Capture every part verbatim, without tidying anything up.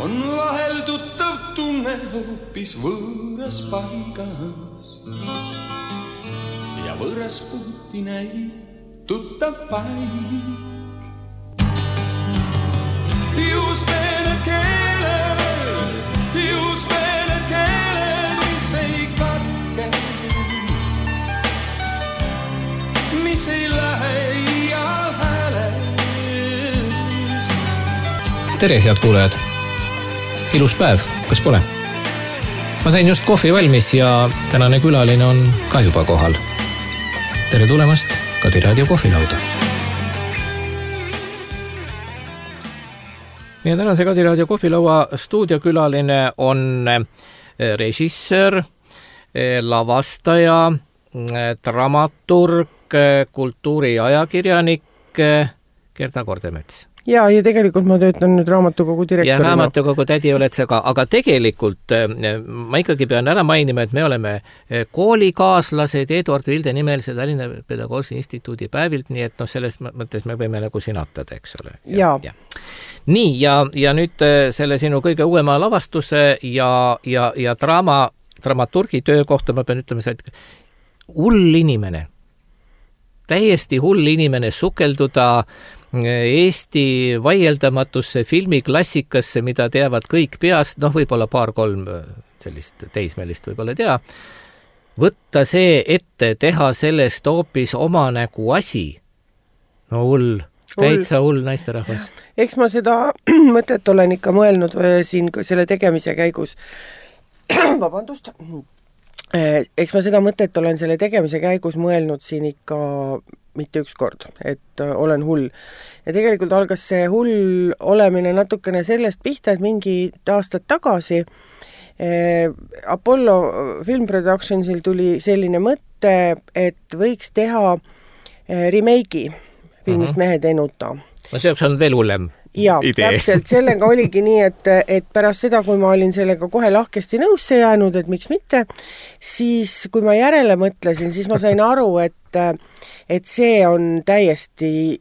on vahel tuttav tunne hoopis võõras paigas ja võõras puhti näib tuttav paik. Just need keeled, just need keeled, mis ei katke, mis ei lähe iial häälest. Tere, head kuulajad! Ilus päev, kas pole? Ma sain just kohvi valmis ja tänane külaline on ka juba kohal. Tere tulemast Kadi Raadio kohvilauda. Meie tänase Kadi Raadio kohvilaua stuudiokülaline on režissöör, lavastaja, dramaturg, kultuuriajakirjanik Gerda Kordemets. Ja, ja tegelikult ma töötan nüüd raamatukogu direktorina. Ja raamatukogu tädi oled sa ka, aga tegelikult ma ikkagi pean ära mainima, et me oleme koolikaaslased Eduard Vilde nimelise Tallinna Pedagoogilise Instituudi päevilt, nii et no selles mõttes me võime nagu sinatada, eks ole. Ja. ja. Nii, ja, ja nüüd selle sinu kõige uuema lavastuse ja, ja, ja draama, dramaturgi töö kohta ma pean ütlema, et hull inimene, täiesti hull inimene sukelduda Eesti vaieldamatusse filmiklassikasse, mida teavad kõik peast, noh võib-olla paar-kolm sellist teismelist võib-olla tea, võtta see ette, teha sellest hoopis oma nägu asi. No hull, täitsa hull naisterahvas. Eks ma seda mõtet olen ikka mõelnud siin selle tegemise käigus. Vabandust. Eks ma seda mõtet olen selle tegemise käigus mõelnud siin ikka mitte üks kord, et olen hull. Ja tegelikult algas see hull olemine natukene sellest pihta, et mingi aastad tagasi eh, Apollo Film Productionsil tuli selline mõte, et võiks teha eh, remake'i filmist uh-huh. Mehed enuta. No see on veel hullem. Ja, idee. Täpselt, sellega oligi nii, et, et pärast seda, kui ma olin sellega kohe lahkesti nõusse jäänud, et miks mitte, siis kui ma järele mõtlesin, siis ma sain aru, et, et see on täiesti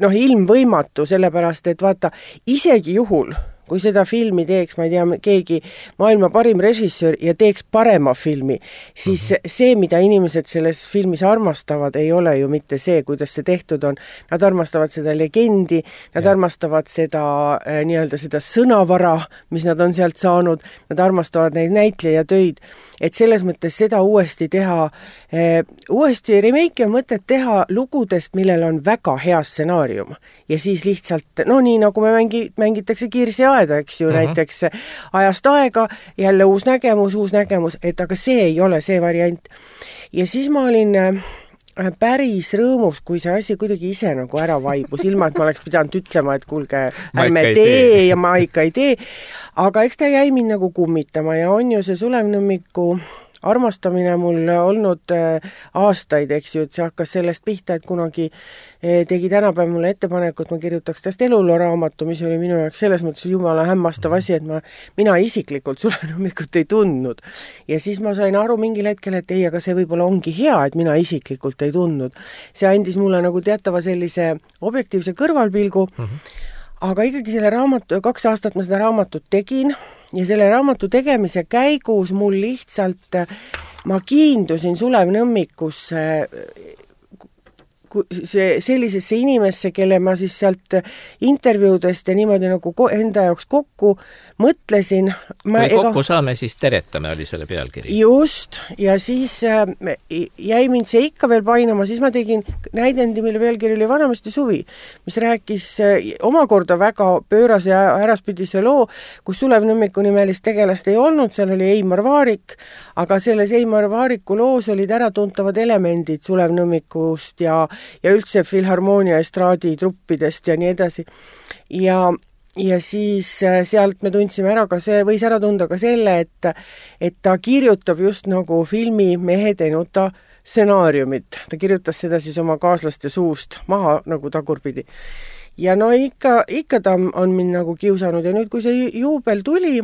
noh, ilmvõimatu, sellepärast, et vaata, isegi juhul, kui seda filmi teeks, ma ei tea, keegi maailma parim režissöör ja teeks parema filmi, siis uh-huh. see, mida inimesed selles filmis armastavad, ei ole ju mitte see, kuidas see tehtud on. Nad armastavad seda legendi, nad ja. armastavad seda äh, nii-öelda seda sõnavara, mis nad on sealt saanud, nad armastavad neid näitlejatöid, et selles mõttes seda uuesti teha, äh, uuesti remake on mõtet teha lugudest, millel on väga hea stsenaarium ja siis lihtsalt, no nii nagu me mängi, mängitakse Kirsi aeda, eks ju, uh-huh. näiteks ajast aega, jälle uus nägemus, uus nägemus, et aga see ei ole see variant. Ja siis ma olin päris rõõmus, kui see asi kuidagi ise nagu ära vaibus, ilma et ma oleks pidanud ütlema, et kuulge, ärme tee ja ma ikka ei tee. Aga eks ta jäi mind nagu kummitama ja on ju see Sulevnõmmiku armastamine mul olnud aastaid, eks ju, et see hakkas sellest pihta, et kunagi tegi tänapäev mulle ettepaneku, et ma kirjutaks täst eluloo raamatu, mis oli minu jaoks selles mõttes jumala hämmastav asi, et ma, mina isiklikult Sulevnõmmikut ei tundnud. Ja siis ma sain aru mingil hetkel, et ei, aga see võib-olla ongi hea, et mina isiklikult ei tundnud. See andis mulle nagu teatava sellise objektiivse kõrvalpilgu, uh-huh. aga ikkagi selle raamatu, kaks aastat ma seda raamatut tegin, ja selle raamatu tegemise käigus mul lihtsalt, ma kiindusin Sulevnõmmikusse see, sellisesse inimesse, kelle ma siis sealt intervjuudest ja niimoodi nagu enda jaoks kokku mõtlesin. Ma, kui kokku ega... saame, siis teretame, oli selle pealkiri. Just, ja siis äh, jäi mind see ikka veel painama, siis ma tegin näidendi, mille pealkiri oli Vanamesti suvi, mis rääkis äh, omakorda väga pöörase ja äraspidise loo, kus Sulevnõmmiku nimelist tegelast ei olnud, seal oli Eimar Vaarik, aga selles Eimar Vaariku loos olid äratuntavad elemendid Sulevnõmmikust ja ja üldse filharmoonia estraadi truppidest ja nii edasi. Ja, ja siis sealt me tundsime ära ka see, võis ära tunda ka selle, et, et ta kirjutab just nagu filmi Mehed enuta stsenaariumit. Ta kirjutas seda siis oma kaaslaste suust maha nagu tagurpidi. Ja no ikka, ikka ta on mind nagu kiusanud ja nüüd, kui see juubel tuli,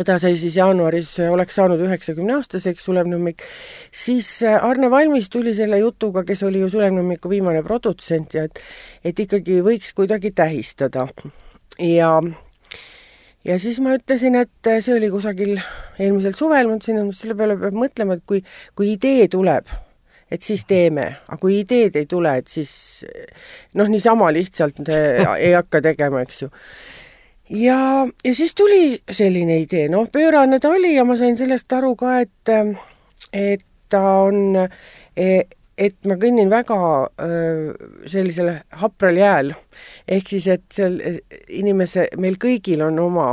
ta sai siis jaanuaris, oleks saanud üheksakümne aastaseks Sulevnõmmik, siis Arne Valmis tuli selle jutuga, kes oli ju Sulevnõmmiku viimane produtsent ja et, et ikkagi võiks kuidagi tähistada. ja ja siis ma ütlesin, et see oli kusagil eelmisel suvel, mõtlesin, et selle peale peab mõtlema, et kui, kui idee tuleb, et siis teeme, aga kui ideed ei tule, et siis noh, niisama lihtsalt ei hakka tegema, eks ju. Ja, ja siis tuli selline idee, noh, pöörane ta oli ja ma sain sellest aru ka, et, et ta on, et ma kõnnin väga sellisel hapral jääl, ehk siis, et seal inimese, meil kõigil on oma,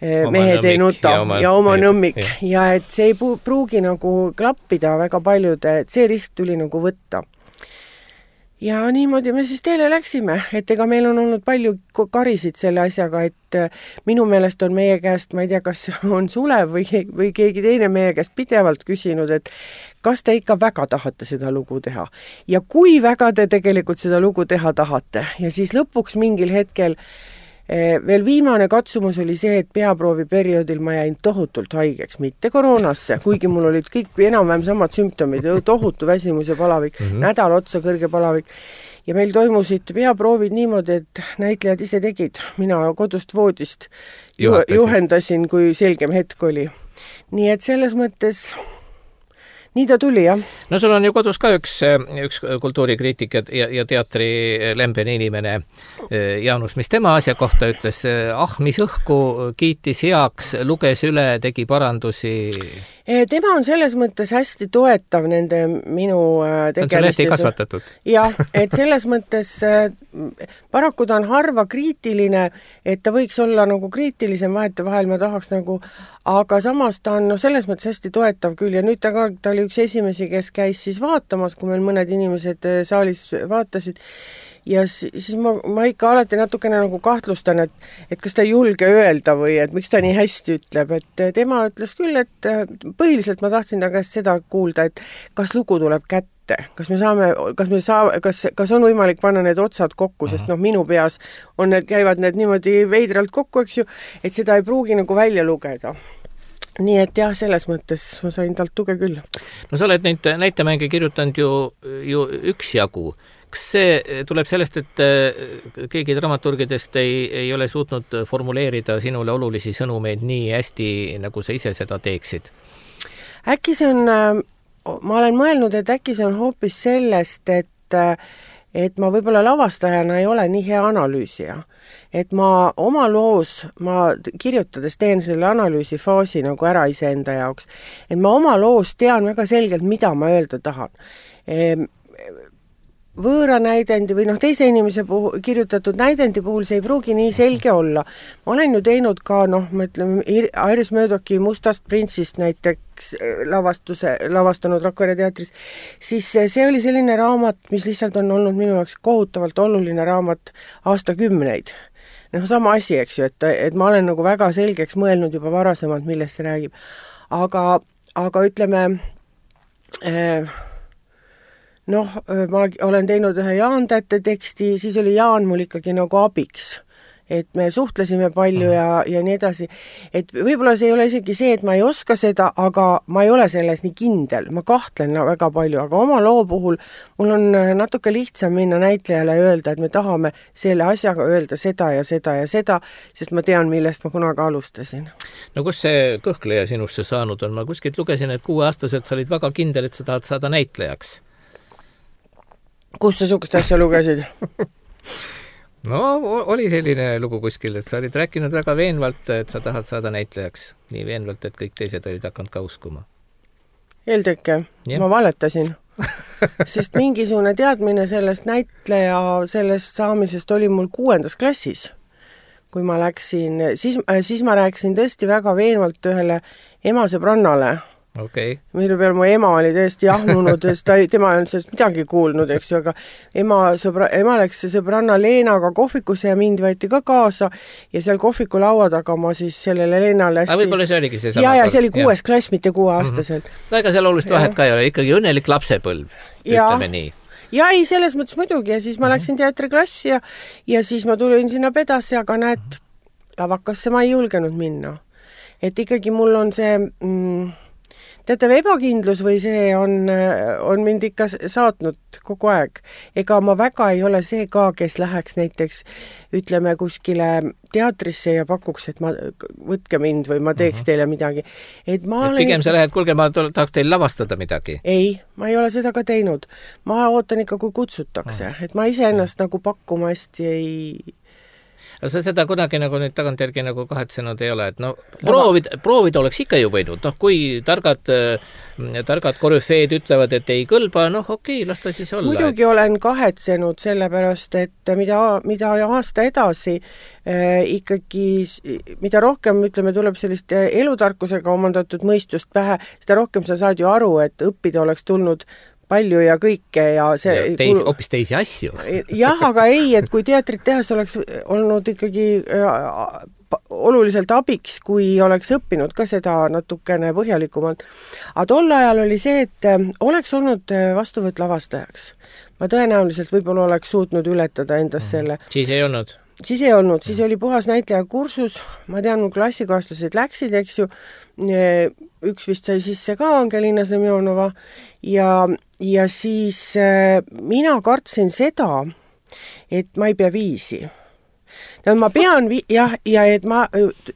oma mehed ei nuta ja oma, ja oma nõmmik ja. ja et see ei pruugi nagu klappida väga paljude, et see risk tuli nagu võtta. Ja niimoodi me siis teele läksime, et ega meil on olnud palju karisid selle asjaga, et minu meelest on meie käest, ma ei tea, kas on Sulev või, või keegi teine meie käest pidevalt küsinud, et kas te ikka väga tahate seda lugu teha. Ja kui väga te tegelikult seda lugu teha tahate. Ja siis lõpuks mingil hetkel veel viimane katsumus oli see, et peaproovi perioodil ma jäin tohutult haigeks, mitte koroonasse, kuigi mul olid kõik enam-vähem samad sümptomid, tohutu väsimus ja palavik, mm -hmm. nädal otsa kõrge palavik. Ja meil toimusid peaproovid niimoodi, et näitlejad ise tegid. Mina kodust voodist Juhatasin. juhendasin, kui selgem hetk oli. Nii et selles mõttes nii ta tuli, jah. No sul on ju kodus ka üks, üks kultuurikriitik ja, ja teatri lembene inimene Jaanus, mis tema asja kohta ütles, ah, mis õhku kiitis heaks, luges üle, tegi parandusi. Tema on selles mõttes hästi toetav nende minu tegemistes. Ta on hästi kasvatatud. Jah, et selles mõttes paraku ta on harva kriitiline, et ta võiks olla nagu kriitilisem vahet vahel, ma tahaks nagu, aga samas ta on no, selles mõttes hästi toetav küll ja nüüd ta ka, ta oli üks esimesi, kes käis siis vaatamas, kui meil mõned inimesed saalis vaatasid ja siis ma, ma ikka alati natukene nagu kahtlustan, et, et kas ta ei julge öelda või et miks ta nii hästi ütleb, et tema ütles küll, et põhiliselt ma tahtsin ta käest seda kuulda, et kas lugu tuleb kätte, kas me saame, kas me saa, kas, kas on võimalik panna need otsad kokku, sest noh, minu peas on need, käivad need niimoodi veidralt kokku, eks ju, et seda ei pruugi nagu välja lugeda. Nii et jah, selles mõttes ma sain talt tuge küll. No sa oled neid näitemänge kirjutanud ju, ju üks jagu. Kas see tuleb sellest, et keegi dramaturgidest ei, ei ole suutnud formuleerida sinule olulisi sõnumeid nii hästi, nagu sa ise seda teeksid? Äkki see on, ma olen mõelnud, et äkki see on hoopis sellest, et, et ma võib-olla lavastajana ei ole nii hea analüüsija. Et ma oma loos, ma kirjutades teen selle analüüsifaasi nagu ära iseenda jaoks, et ma oma loos tean väga selgelt, mida ma öelda tahan. Võõra näidendi või noh, teise inimese puhul, kirjutatud näidendi puhul see ei pruugi nii selge olla. Ma olen ju teinud ka, noh, ma ütlen, Iris Möödoki Mustast printsist näiteks lavastuse, lavastanud Rakvere teatris, siis see oli selline raamat, mis lihtsalt on olnud minu jaoks kohutavalt oluline raamat aastakümneid. Noh, sama asi, eks ju, et, et ma olen nagu väga selgeks mõelnud juba varasemalt, millest see räägib. Aga, aga ütleme, äh, noh, ma olen teinud ühe Jaan Tätte teksti, siis oli Jaan mul ikkagi nagu abiks. Et me suhtlesime palju ja, ja nii edasi. Et võib-olla see ei ole isegi see, et ma ei oska seda, aga ma ei ole selles nii kindel. Ma kahtlen väga palju, aga oma loo puhul mul on natuke lihtsam minna näitlejale ja öelda, et me tahame selle asjaga öelda seda ja seda ja seda, sest ma tean, millest ma kunagi alustasin. No kus see kõhkleja sinusse saanud on? Ma kuskilt lugesin, et kuueaastaselt sa olid väga kindel, et sa tahad saada näitlejaks. Kus sa sukust asja lugesid? No, oli selline lugu kuskil, et sa olid rääkinud väga veenvalt, et sa tahad saada näitlejaks. Nii veenvalt, et kõik teised olid hakanud ka uskuma. Eeltõkke, ma valetasin. Sest mingisugune teadmine sellest näitleja, sellest saamisest oli mul kuuendas klassis. Kui ma läksin, siis, siis ma rääkisin tõesti väga veenvalt ühele ema sõbrannale. Okay. Mille peal mu ema oli tõesti jahmunud, sest ta, tema ei olnud sellest midagi kuulnud, eks ju, aga ema, sõbra, ema läks sõbranna Leenaga kohvikusse ja mind võeti ka kaasa ja seal kohviku laua taga ma siis sellele Leenale hästi... Aga võib-olla see oligi see sama ja, ja see oli kuues klass, mitte kuueaastaselt. Mm-hmm. No ega seal olulist vahet ka ei ole, ikkagi õnnelik lapsepõlv, ütleme nii. Ja ei, selles mõttes muidugi ja siis ma mm-hmm. läksin teatriklassi ja, ja siis ma tulin sinna pedasse, aga näed, lavakasse ma ei julgenud minna. Et ikkagi mul on see... Mm, teatav ebakindlus või see on, on mind ikka saatnud kogu aeg. Ega ma väga ei ole see ka, kes läheks näiteks, ütleme, kuskile teatrisse ja pakuks, et ma, võtke mind või ma teeks uh-huh. teile midagi. Et ma et olen... pigem sa lähed, kuulge, ma tahaks teil lavastada midagi. Ei, ma ei ole seda ka teinud. Ma ootan ikka, kui kutsutakse. Uh-huh. Et ma ise ennast uh-huh. nagu pakkuma hästi ei... Aga sa seda kunagi nagu nüüd tagantjärgi nagu kahetsenud ei ole, et no proovid, proovid oleks ikka ju võinud, noh kui targad, targad korüfeed ütlevad, et ei kõlba, noh okei, okay, las ta siis olla. Muidugi et... olen kahetsenud sellepärast, et mida, mida aasta edasi äh, ikkagi, mida rohkem, ütleme, tuleb sellist elutarkusega omandatud mõistust pähe, seda rohkem sa saad ju aru, et õppida oleks tulnud palju ja kõike ja see... Ja teisi, hoopis teisi asju. Jah, aga ei, et kui teatrit tehas oleks olnud ikkagi oluliselt abiks, kui oleks õppinud ka seda natukene põhjalikumalt. Aga tol ajal oli see, et oleks olnud vastuvõtt lavastajaks. Ma tõenäoliselt võib-olla oleks suutnud ületada endas selle. Siis ei olnud? Siis ei olnud, siis oli puhas näitleja kursus, ma tean, mu klassikaaslased läksid, eks ju, üks vist sai sisse ka Angelina Semjonova ja, ja siis mina kartsin seda, et ma ei pea viisi. Ma pean, vi- jah, ja et ma,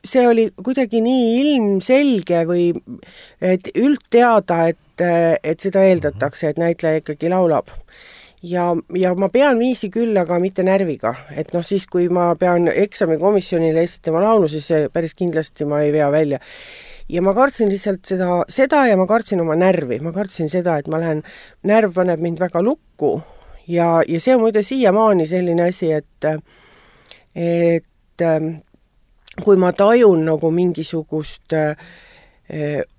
see oli kuidagi nii ilmselge või et üldteada, et, et seda eeldatakse, et näitleja ikkagi laulab. Ja, ja ma pean viisi küll, aga mitte närviga. Et noh, siis kui ma pean eksamikomisjonile esitama laulu, siis päris kindlasti ma ei vea välja. Ja ma kartsin lihtsalt seda, seda ja ma kartsin oma närvi. Ma kartsin seda, et ma lähen, närv paneb mind väga lukku ja, ja see on muide siiamaani selline asi, et, et kui ma tajun nagu mingisugust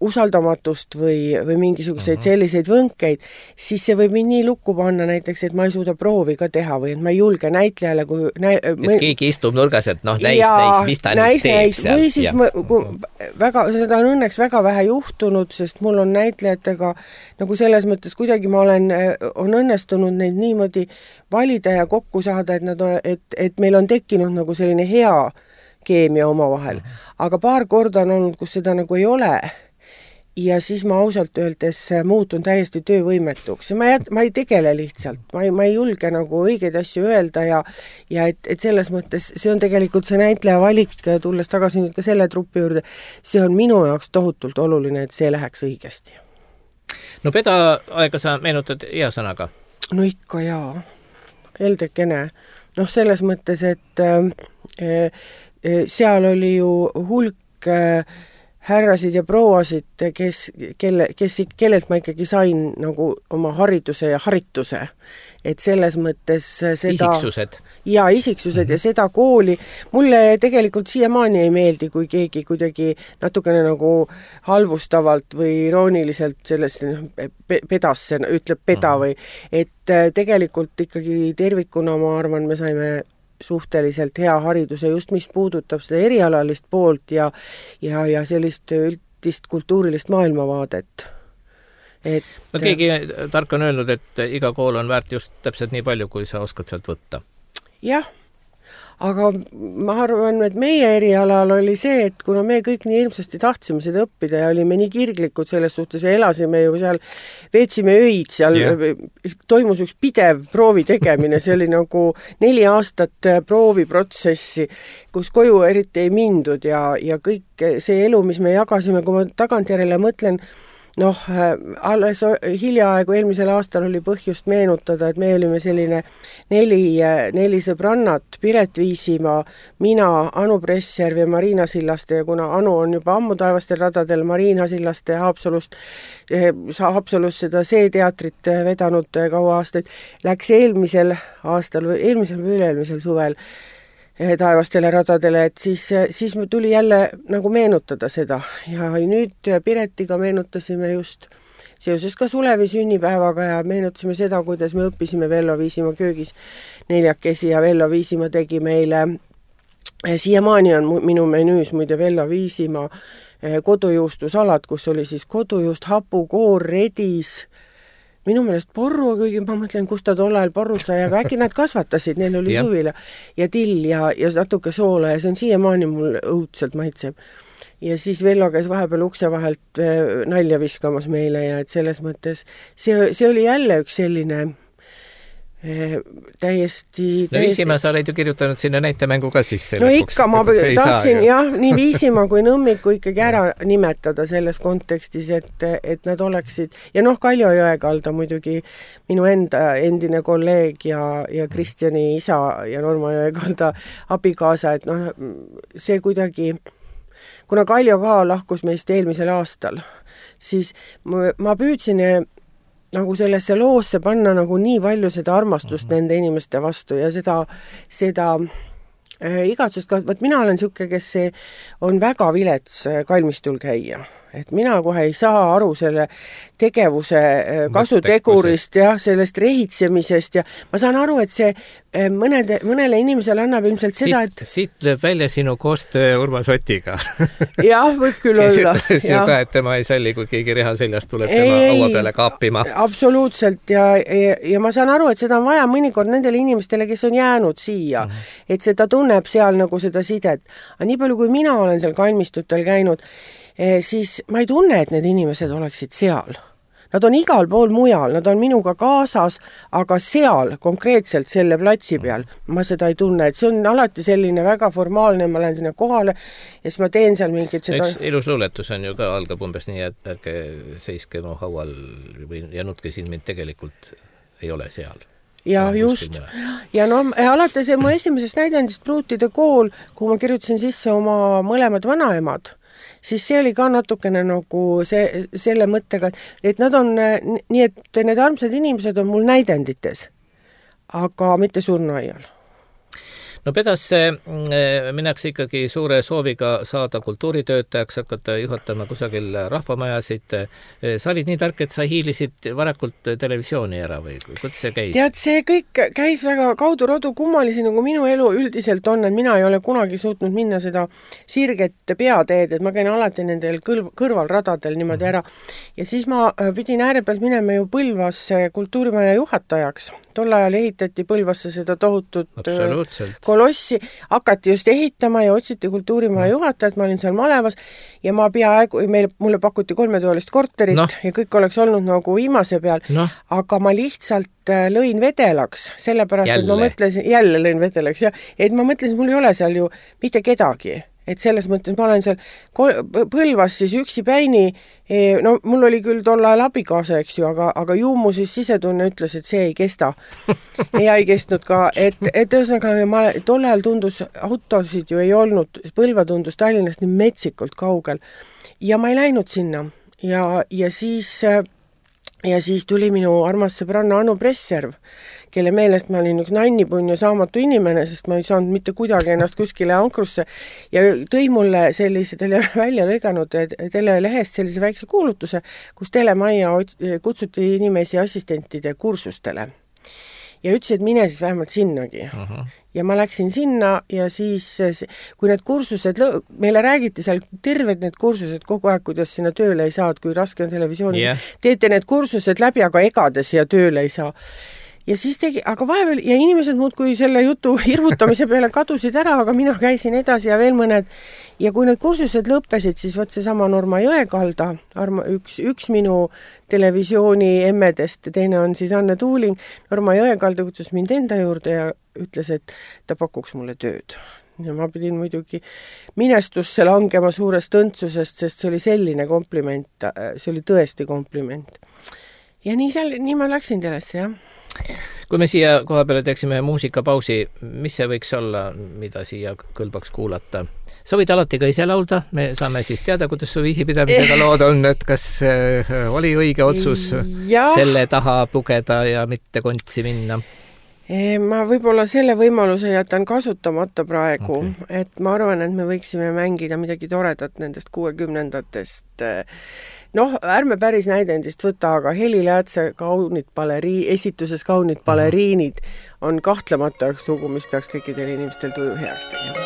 usaldamatust või, või mingisuguseid selliseid võnkeid, siis see võib mind nii lukku panna näiteks, et ma ei suuda proovi ka teha või et ma ei julge näitlejale kui... Näi, et mõi... keegi istub nurgas, et noh, näis, näis, mis ta näis, nüüd teeb seal. Või siis ma, väga, seda on õnneks väga vähe juhtunud, sest mul on näitlejatega nagu selles mõttes kuidagi ma olen, on õnnestunud neid niimoodi valida ja kokku saada, et, nad, et, et meil on tekkinud nagu selline hea keemia oma vahel. Aga paar korda on olnud, kus seda nagu ei ole. Ja siis ma ausalt öeldes muutun täiesti töövõimetuks. Ma, jät, ma ei tegele lihtsalt. Ma ei, ma ei julge nagu õigeid asju öelda ja, ja et, et selles mõttes see on tegelikult see näitleja valik, tulles tagasi nüüd ka selle trupi juurde, see on minu jaoks tohutult oluline, et see läheks õigesti. No peda aega sa meenutad hea sõnaga? No ikka jaa. Eldekene. Noh, selles mõttes, et äh, seal oli ju hulk härrasid ja prouasid, kes, kelle, kes, kellelt ma ikkagi sain nagu oma hariduse ja harituse. Et selles mõttes seda... Isiksused. Jaa, isiksused mm-hmm. ja seda kooli. Mulle tegelikult siiamaani ei meeldi, kui keegi kuidagi natukene nagu halvustavalt või irooniliselt sellest pedasse, ütleb peda mm-hmm. või et tegelikult ikkagi tervikuna ma arvan, me saime suhteliselt hea hariduse, just mis puudutab seda erialalist poolt ja, ja, ja sellist üldist kultuurilist maailmavaadet. Et... No keegi tark on öelnud, et iga kool on väärt just täpselt nii palju, kui sa oskad sealt võtta. Jah, aga ma arvan, et meie erialal oli see, et kuna me kõik nii hirmsasti tahtsime seda õppida ja olime nii kirglikud selles suhtes ja elasime ju seal, veetsime öid seal, yeah. toimus üks pidev proovi tegemine, see oli nagu neli aastat prooviprotsessi, kus koju eriti ei mindud ja, ja kõik see elu, mis me jagasime, kui ma tagantjärele mõtlen, noh, alles hiljaaegu eelmisel aastal oli põhjust meenutada, et me olime selline neli, neli sõbrannat, Piret Viisimaa, mina, Anu Pressjärv ja Marina Sillaste ja kuna Anu on juba ammu taevastel radadel, Marina Sillaste Haapsalust, Haapsalus seda C-teatrit vedanud kaua aastaid, läks eelmisel aastal või eelmisel või üle-eelmisel suvel taevastele radadele, et siis, siis tuli jälle nagu meenutada seda ja nüüd Piretiga meenutasime just seoses ka Sulevi sünnipäevaga ja meenutasime seda, kuidas me õppisime Vello Viisimaa köögis neljakesi ja Vello Viisimaa tegi meile, siiamaani on minu menüüs muide Vello Viisimaa kodujuustusalad, kus oli siis kodujuust, hapukoor, redis, minu meelest porru, kuigi ma mõtlen, kus ta tol ajal porru sai, aga äkki nad kasvatasid, neil oli suvila ja till ja, ja natuke soola ja see on siiamaani mul õudselt maitseb. ja siis Vello käis vahepeal ukse vahelt nalja viskamas meile ja et selles mõttes see, see oli jälle üks selline täiesti... No Viisima sa oled ju kirjutanud sinna näitemängu ka sisse. No lõpuks, ikka, ma tahtsin jah, nii Viisima kui Nõmmiku ikkagi ära nimetada selles kontekstis, et, et nad oleksid, ja noh, Kaljo Jõekalda muidugi minu enda endine kolleeg ja, ja Kristjani isa ja Norma Jõekalda abikaasa, et noh, see kuidagi, kuna Kaljo ka lahkus meist eelmisel aastal, siis ma, ma püüdsin nagu sellesse loosse panna nagu nii palju seda armastust mm-hmm. nende inimeste vastu ja seda, seda äh, igatsust ka, võt mina olen siuke, kes see on väga vilets kalmistul käia. Et mina kohe ei saa aru selle tegevuse kasutegurist ja sellest rehitsemisest ja ma saan aru, et see mõnede, mõnele inimesele annab ilmselt seda, et... Siit lööb välja sinu koostöö Urmas Otiga. jah, võib küll olla. See ka, et tema ei salli, kui keegi reha seljast tuleb ei, tema haua peale kaapima. Absoluutselt ja, ja, ja ma saan aru, et seda on vaja mõnikord nendele inimestele, kes on jäänud siia, mm-hmm. et seda tunneb seal nagu seda sidet. Aga nii palju, kui mina olen seal kalmistutel käinud, siis ma ei tunne, et need inimesed oleksid seal. Nad on igal pool mujal, nad on minuga kaasas, aga seal, konkreetselt selle platsi peal, ma seda ei tunne, et see on alati selline väga formaalne, ma lähen sinna kohale ja siis ma teen seal mingit seda... Üks ilus luuletus on ju ka, algab umbes nii, et ärge seiske mu haual või jänutke siin mind tegelikult ei ole seal. Ja no, just. Ja no alati see mu esimesest näidendist Pruutide kool, kuhu ma kirjutasin sisse oma mõlemad vanaemad, siis see oli ka natukene nagu see, selle mõttega, et nad on nii, et need armsad inimesed on mul näidendites, aga mitte surnuaial. No Pedasse minnakse ikkagi suure sooviga saada kultuuritöötajaks, hakata juhatama kusagil rahvamajasid. Sa olid nii tark, et sa hiilisid varakult televisiooni ära või kuidas see käis? Tead, see kõik käis väga kaudu-rodu kummalisi, nagu minu elu üldiselt on, et mina ei ole kunagi suutnud minna seda sirget peateed, et ma käin alati nendel kõrv- kõrvalradadel niimoodi ära. Ja siis ma pidin ääre pealt minema ju Põlvasse kultuurimaja juhatajaks. Tol ajal ehitati Põlvasse seda tohutut kolossi, hakati just ehitama ja otsiti kultuurimaja juhatajat, ma olin seal malevas ja ma peaaegu, meil, mulle pakuti kolmetoalist korterit no. ja kõik oleks olnud nagu viimase peal, no. aga ma lihtsalt lõin vedelaks, sellepärast, jälle. et ma mõtlesin, jälle lõin vedelaks, ja, et ma mõtlesin, mul ei ole seal ju mitte kedagi. Et selles mõttes ma olen seal Põlvas siis üksi päini, no mul oli küll tol ajal abikaasa, eks ju, aga, aga ju mu siis sisetunne ütles, et see ei kesta. ja ei kestnud ka, et, et ühesõnaga ma, tol ajal tundus, autosid ju ei olnud, Põlva tundus Tallinnast nii metsikult kaugel. Ja ma ei läinud sinna. Ja, ja siis... Ja siis tuli minu armas sõbranna Anu Presserv, kelle meelest ma olin üks nannipun ja saamatu inimene, sest ma ei saanud mitte kuidagi ennast kuskile ankrusse ja tõi mulle sellise tele välja lõiganud telelehest sellise väikse kuulutuse, kus Telemajja kutsuti inimesi assistentide kursustele. Ja ütles, et mine siis vähemalt sinnagi. Uh-huh. Ja ma läksin sinna ja siis, kui need kursused, meile räägiti seal terved need kursused kogu aeg, kuidas sinna tööle ei saa, kui raske on televisiooni, yeah. teete need kursused läbi, aga egades ja tööle ei saa. Ja siis tegi, aga vahepeal, ja inimesed muud kui selle jutu hirmutamise peale kadusid ära, aga mina käisin edasi ja veel mõned. Ja kui need kursused lõppesid, siis võt see sama Norma Jõekalda, arma, üks, üks minu televisiooni emmedest, teine on siis Anne Tuuling. Norma Jõekalda kutsus mind enda juurde ja ütles, et ta pakuks mulle tööd. Ja ma pidin muidugi minestusse langema suurest õndsusest, sest see oli selline kompliment, see oli tõesti kompliment. Ja nii, seal, nii ma läksin telesse, jah. Kui me siia koha peale teeksime muusikapausi, mis see võiks olla, mida siia kõlbaks kuulata? Sa võid alati ka ise laulda, me saame siis teada, kuidas su viisipidamisega lood on, et kas oli õige otsus ja. selle taha pugeda ja mitte kontsi minna? Ma võib-olla selle võimaluse jätan kasutamata praegu, okay. et ma arvan, et me võiksime mängida midagi toredat nendest kuuekümnendatest. Noh, ärme päris näidendist võta, aga Heli Läätse kaunid baleri, esituses kaunid baleriinid on kahtlemata üks lugu, mis peaks kõikidel inimestel tuju heaks tegema.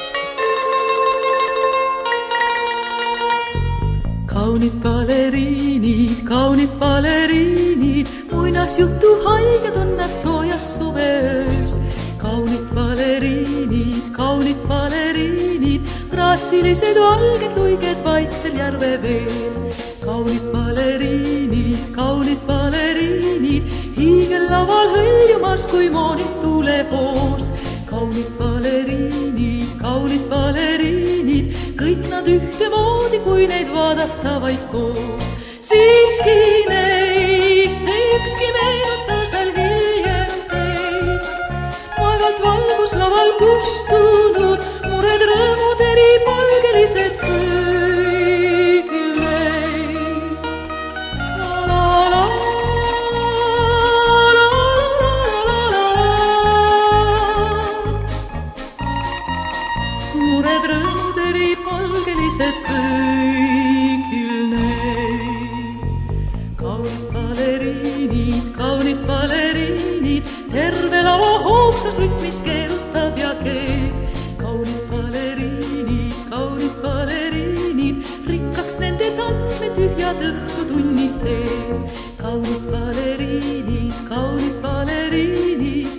Kaunid baleriinid, kaunid baleriinid, muinasjutu haiged on nad soojas suveöös. Kaunid baleriinid, kaunid baleriinid, graatsilised valged luiged vaiksel järve veel. Kaunid baleriinid, kaunid baleriinid, hiigellaval hõljumas kui moonid tulepoos. Kaunid baleriinid, kaunid baleriinid, kõik nad ühtemoodi, kui neid vaadata vaid koos. Siiski neist ei ükski meenuta seal hiljem teist. Vaevalt valgus laval kustunud, mured rõõmud eri palgelised kõigil neid. La la la, la la la la. Mured rõõmud eri palgelised kõigil neid. Kaunid baleriinid, kaunid baleriinid, terve lava hoogsas rütmis keerutab ja keeb. Kaunid baleriinid, kaunid baleriinid, rikkaks nende tants me tühjad õhtutunnid teeb. Kaunid baleriinid, kaunid baleriinid,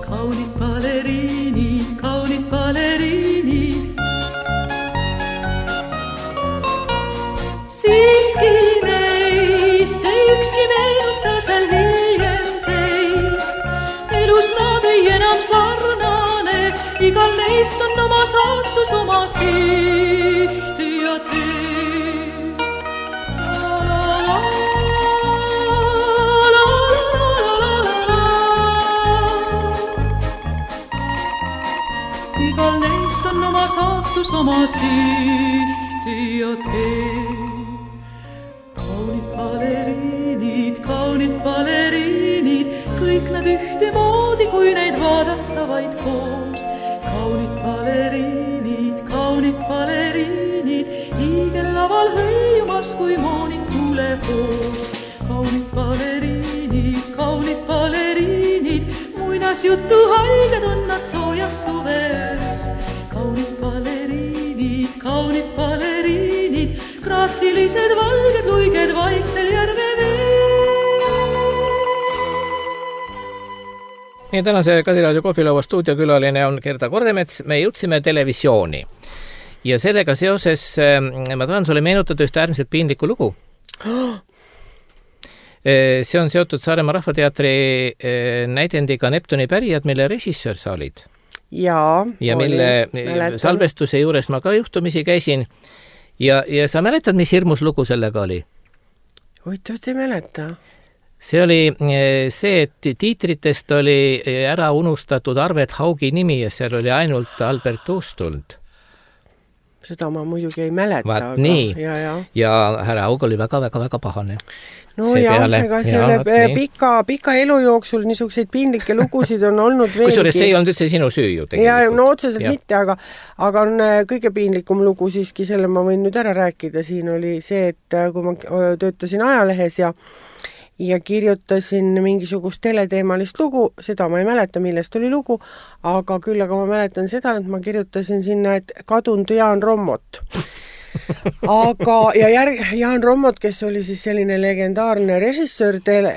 kaunid baleriinid, kaunid baleriinid. Siiski neist ei ükski meenuta seal hiljem teist. Elus nad ei enam sarnane, igal neist on oma saatus, oma siht ja tee. La la la, la la la la. Igal neist on oma saatus, oma siht ja tee. Kaunid baleriinid, kaunid baleriinid, kõik nad ühtemoodi, kui neid vaadata vaid koos. Kaunid baleriinid, kaunid baleriinid, hiigellaval hõljumas, kui moonid tulepoos. Kaunid baleriinid, kaunid baleriinid, muinasjutu haiged on nad soojas suveöös. Kaunid baleriinid, kaunid baleriinid, graatsilised valged luiged vaiksel järve veel. Nii, tänase Kadiraadio kohvilaua stuudiokülaline on Gerda Kordemets. Me jõudsime televisiooni ja sellega seoses ma tahan sulle meenutada ühte äärmiselt piinlikku lugu. See on seotud Saaremaa Rahvateatri näidendiga Neptuni pärijad, mille režissöör sa olid. Jaa, ja mille mäletan. Salvestuse juures ma ka juhtumisi käisin. Ja, ja sa mäletad, mis hirmus lugu sellega oli? Oitot ei mäleta. See oli see, et tiitritest oli ära unustatud Arvet Haugi nimi ja seal oli ainult Albert Uustuld. Seda ma muidugi ei mäleta. Vaat aga, nii. Ja, ja. ja härra Haug oli väga-väga-väga pahane. No see jah, peale. Ega selle ja, pika, pika elu jooksul niisuguseid piinlikke lugusid on olnud veelgi. Kusjuures see ei olnud üldse sinu süü ju tegelikult. Ja, no otseselt ja. mitte, aga, aga on kõige piinlikum lugu siiski, selle ma võin nüüd ära rääkida. Siin oli see, et kui ma töötasin ajalehes ja ja kirjutasin mingisugust teleteemalist lugu, seda ma ei mäleta, millest oli lugu, aga küll aga ma mäletan seda, et ma kirjutasin sinna, et kadunud Jaan Rommot. Aga, ja järg, Jaan Rommot, kes oli siis selline legendaarne režissöör tele,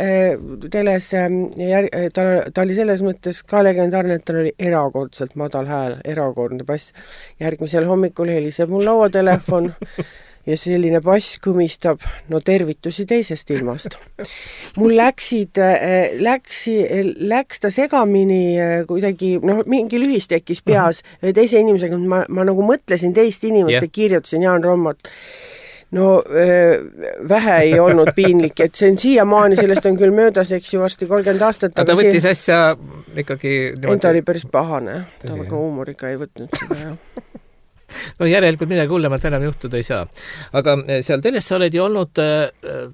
teles, järg, ta, ta oli selles mõttes ka legendaarne, et tal oli erakordselt madal hääl, erakordne bass. Järgmisel hommikul heliseb mul lauatelefon ja selline bass kõmistab, no tervitusi teisest ilmast. Mul läksid, läksi, läks ta segamini kuidagi, noh, mingi lühis tekkis peas uh-huh. teise inimesega, ma, ma nagu mõtlesin teist inimest yeah. ja kirjutasin Jaan Rommot. No vähe ei olnud piinlik, et see on siiamaani, sellest on küll möödas, eks ju, varsti kolmkümmend aastat. Aga ta võttis siin... asja ikkagi... Niimoodi... Ta oli päris pahane, ta väga huumoriga ei võtnud seda, jah. No järelikult midagi hullemalt enam juhtuda ei saa. Aga seal teles sa oled ju olnud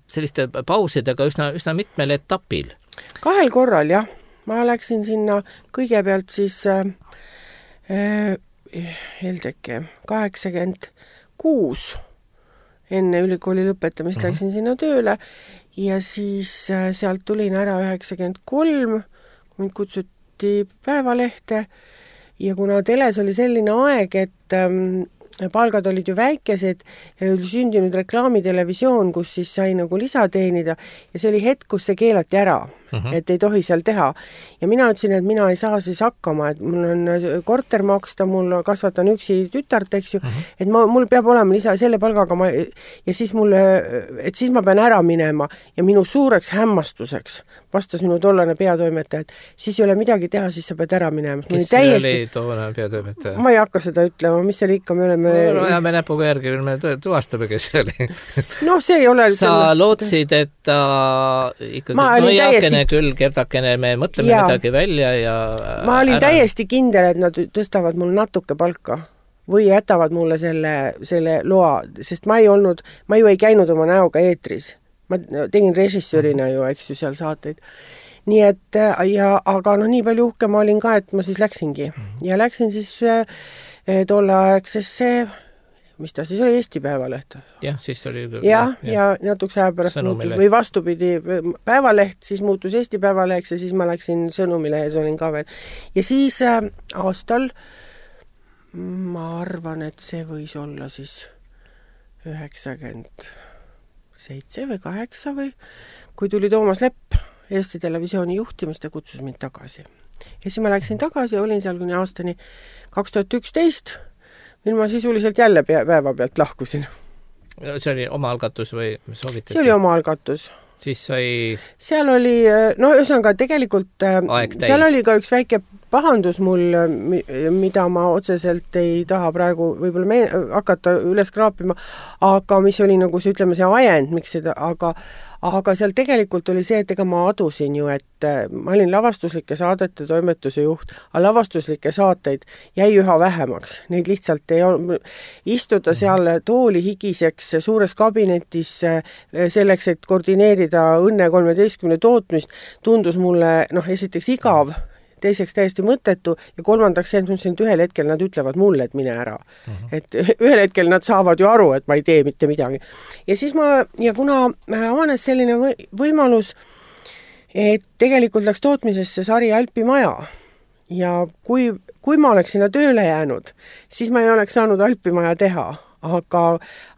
selliste pausidega üsna, üsna mitmel etapil. Kahel korral, jah. Ma läksin sinna kõigepealt siis äh, Heldeke kaheksakümmend kuus enne ülikooli lõpetamist uh-huh. läksin sinna tööle ja siis äh, sealt tulin ära üheksakümmend kolm, mind kutsuti Päevalehte. Ja kuna teles oli selline aeg, et ähm, palgad olid ju väikesed ja oli sündinud reklaamitelevisioon, kus siis sai nagu lisa teenida ja see oli hetk, kus see keelati ära. uh-huh. et ei tohi seal teha. Ja mina ütlesin, et mina ei saa siis hakkama, et mul on korter maksta, mul kasvatan üksi tütart, eks ju, uh-huh. et ma, mul peab olema lisa selle palgaga ma, ja siis mulle, et siis ma pean ära minema ja minu suureks hämmastuseks vastas minu tollane peatoimetaja, et siis ei ole midagi teha, siis sa pead ära minema. Kes täiesti... oli tollane peatoimetaja? Ma ei hakka seda ütlema, mis seal ikka me oleme... No, ajame näpuga järgi, me tuvastame, kes see oli. No see ei ole... Sa selle... lootsid, et ta ikkagi no jääkene täiesti... küll, kerdakene, me mõtleme ja. midagi välja ja... Ma olin ära... täiesti kindel, et nad tõstavad mul natuke palka või jätavad mulle selle, selle loa, sest ma ei olnud, ma ju ei käinud oma näoga eetris. Ma tegin režissöörina ju, eks ju, seal saateid. Nii et, ja, aga noh, nii palju uhke ma olin ka, et ma siis läksingi. Ja läksin siis äh, tolleaegsesse, mis ta siis oli, Eesti Päevaleht. Jah, siis oli... Ja, ja, ja natuks aja pärast muutus, või vastupidi, Päevaleht, siis muutus Eesti Päevaleheks ja siis ma läksin Sõnumilehes, olin ka veel. Ja siis äh, aastal, ma arvan, et see võis olla siis üheksakümmend seitse või kaheksa või, kui tuli Toomas Lepp Eesti Televisiooni juhtimist ja kutsus mind tagasi. Ja siis ma läksin tagasi ja olin seal kuni aastani kaks tuhat üksteist, mil ma sisuliselt jälle päeva pealt lahkusin. See oli oma algatus või soovitati? See oli oma algatus. Siis sai... Seal oli, no ühesõnaga tegelikult seal oli ka üks väike pahandus mul, mida ma otseselt ei taha praegu võib-olla me hakata üles kraapima, aga mis oli nagu see, ütleme, see ajend, miks seda, aga, aga seal tegelikult oli see, et ega ma adusin ju, et ma olin lavastuslike saadete toimetuse juht, aga lavastuslikke saateid jäi üha vähemaks. Neid lihtsalt ei ole, istuda seal tooli higiseks suures kabinetis selleks, et koordineerida Õnne kolmeteistkümne tootmist, tundus mulle, noh, esiteks igav, teiseks täiesti mõttetu ja kolmandaks see, et mõtlesin, et ühel hetkel nad ütlevad mulle, et mine ära. Uh-huh. Et ühel hetkel nad saavad ju aru, et ma ei tee mitte midagi. Ja siis ma, ja kuna avanes selline võimalus, et tegelikult läks tootmisesse sari Alpimaja ja kui, kui ma oleks sinna tööle jäänud, siis ma ei oleks saanud Alpimaja teha. Aga,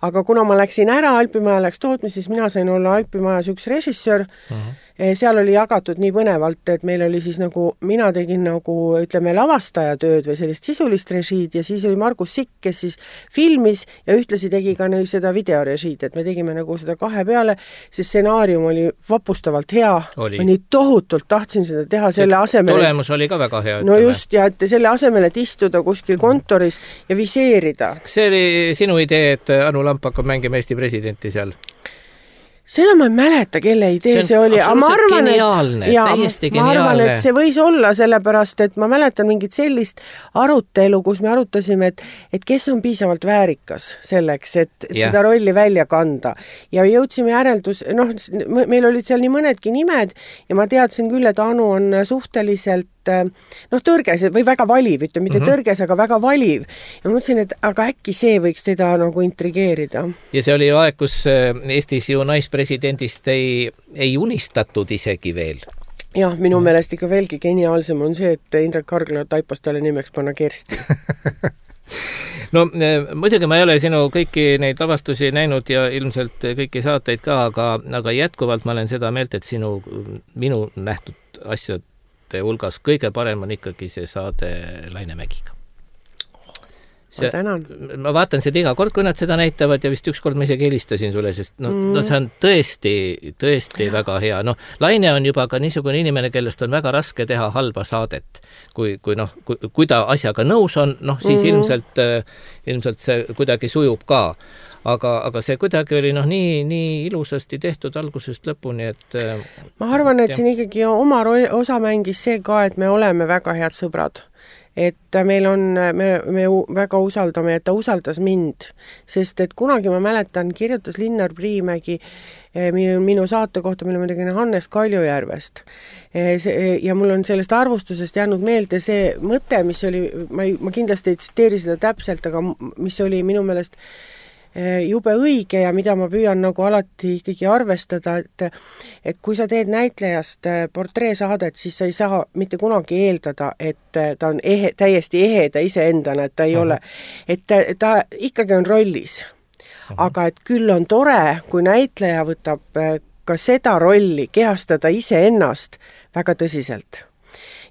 aga kuna ma läksin ära, Alpimaja läks tootmis, siis mina sain olla Alpimajas üks režissöör. Uh-huh. Seal oli jagatud nii põnevalt, et meil oli siis nagu, mina tegin nagu, ütleme, lavastaja tööd või sellist sisulist režiid ja siis oli Margus Sikk, kes siis filmis ja ühtlasi tegi ka neil seda videorežiid, et me tegime nagu seda kahe peale, see stsenaarium oli vapustavalt hea. Oli. Ma nii tohutult tahtsin seda teha selle asemel. Tulemus oli ka väga hea. No ütleme. Just, ja et selle asemel, et istuda kuskil kontoris ja viseerida. See oli sinu idee, et Anu Lamp hakkab mängima Eesti presidenti seal? Seda ma ei mäleta, kelle idee see, see oli. See on absoluutselt geniaalne, ja, täiesti geniaalne. Ma arvan, et see võis olla sellepärast, et ma mäletan mingit sellist arutelu, kus me arutasime, et, et kes on piisavalt väärikas selleks, et, et yeah. seda rolli välja kanda. Ja jõudsime järeldus, noh, meil olid seal nii mõnedki nimed ja ma teadsin küll, et Anu on suhteliselt noh, tõrges või väga valiv, ütleme, mitte mm-hmm. tõrges, aga väga valiv. Ja mõtlesin, et aga äkki see võiks teda nagu intrigeerida. Ja see oli ju aeg, kus Eestis ju naispresidendist ei, ei unistatud isegi veel. Jah, minu mm. meelest ikka veelgi geniaalsem on see, et Indrek Kargla taipas talle nimeks panna Kersti. No muidugi ma ei ole sinu kõiki neid lavastusi näinud ja ilmselt kõiki saateid ka, aga, aga jätkuvalt ma olen seda meelt, et sinu, minu nähtud asjad hulgas kõige parem on ikkagi see saade Lainemägiga. See, ma tänan. Ma vaatan seda iga kord, kui nad seda näitavad ja vist ükskord ma isegi helistasin sulle, sest no, mm. no see on tõesti, tõesti ja. väga hea. No, Laine on juba ka niisugune inimene, kellest on väga raske teha halba saadet. Kui, kui, noh, kui, kui ta asjaga nõus on, noh, siis mm. ilmselt, ilmselt see kuidagi sujub ka. Aga, aga see kuidagi oli noh, nii, nii ilusasti tehtud algusest lõpuni, et... Ma arvan, et ja. siin ikkagi oma osa mängis see ka, et me oleme väga head sõbrad. Et meil on, me, me väga usaldame, et ta usaldas mind. Sest et kunagi ma mäletan, kirjutas Linnar Priimägi minu, minu saate kohta, mille ma tegin Hannes Kaljujärvest. Ja mul on sellest arvustusest jäänud meelde see mõte, mis oli, ma, ma kindlasti ei tsiteeri seda täpselt, aga mis oli minu meelest jube õige ja mida ma püüan nagu alati ikkagi arvestada, et, et kui sa teed näitlejast portreesaadet, siis sa ei saa mitte kunagi eeldada, et ta on ehe, täiesti eheda iseendana, et ta ei uh-huh. ole, et ta, ta ikkagi on rollis. Uh-huh. Aga et küll on tore, kui näitleja võtab ka seda rolli kehastada iseennast väga tõsiselt.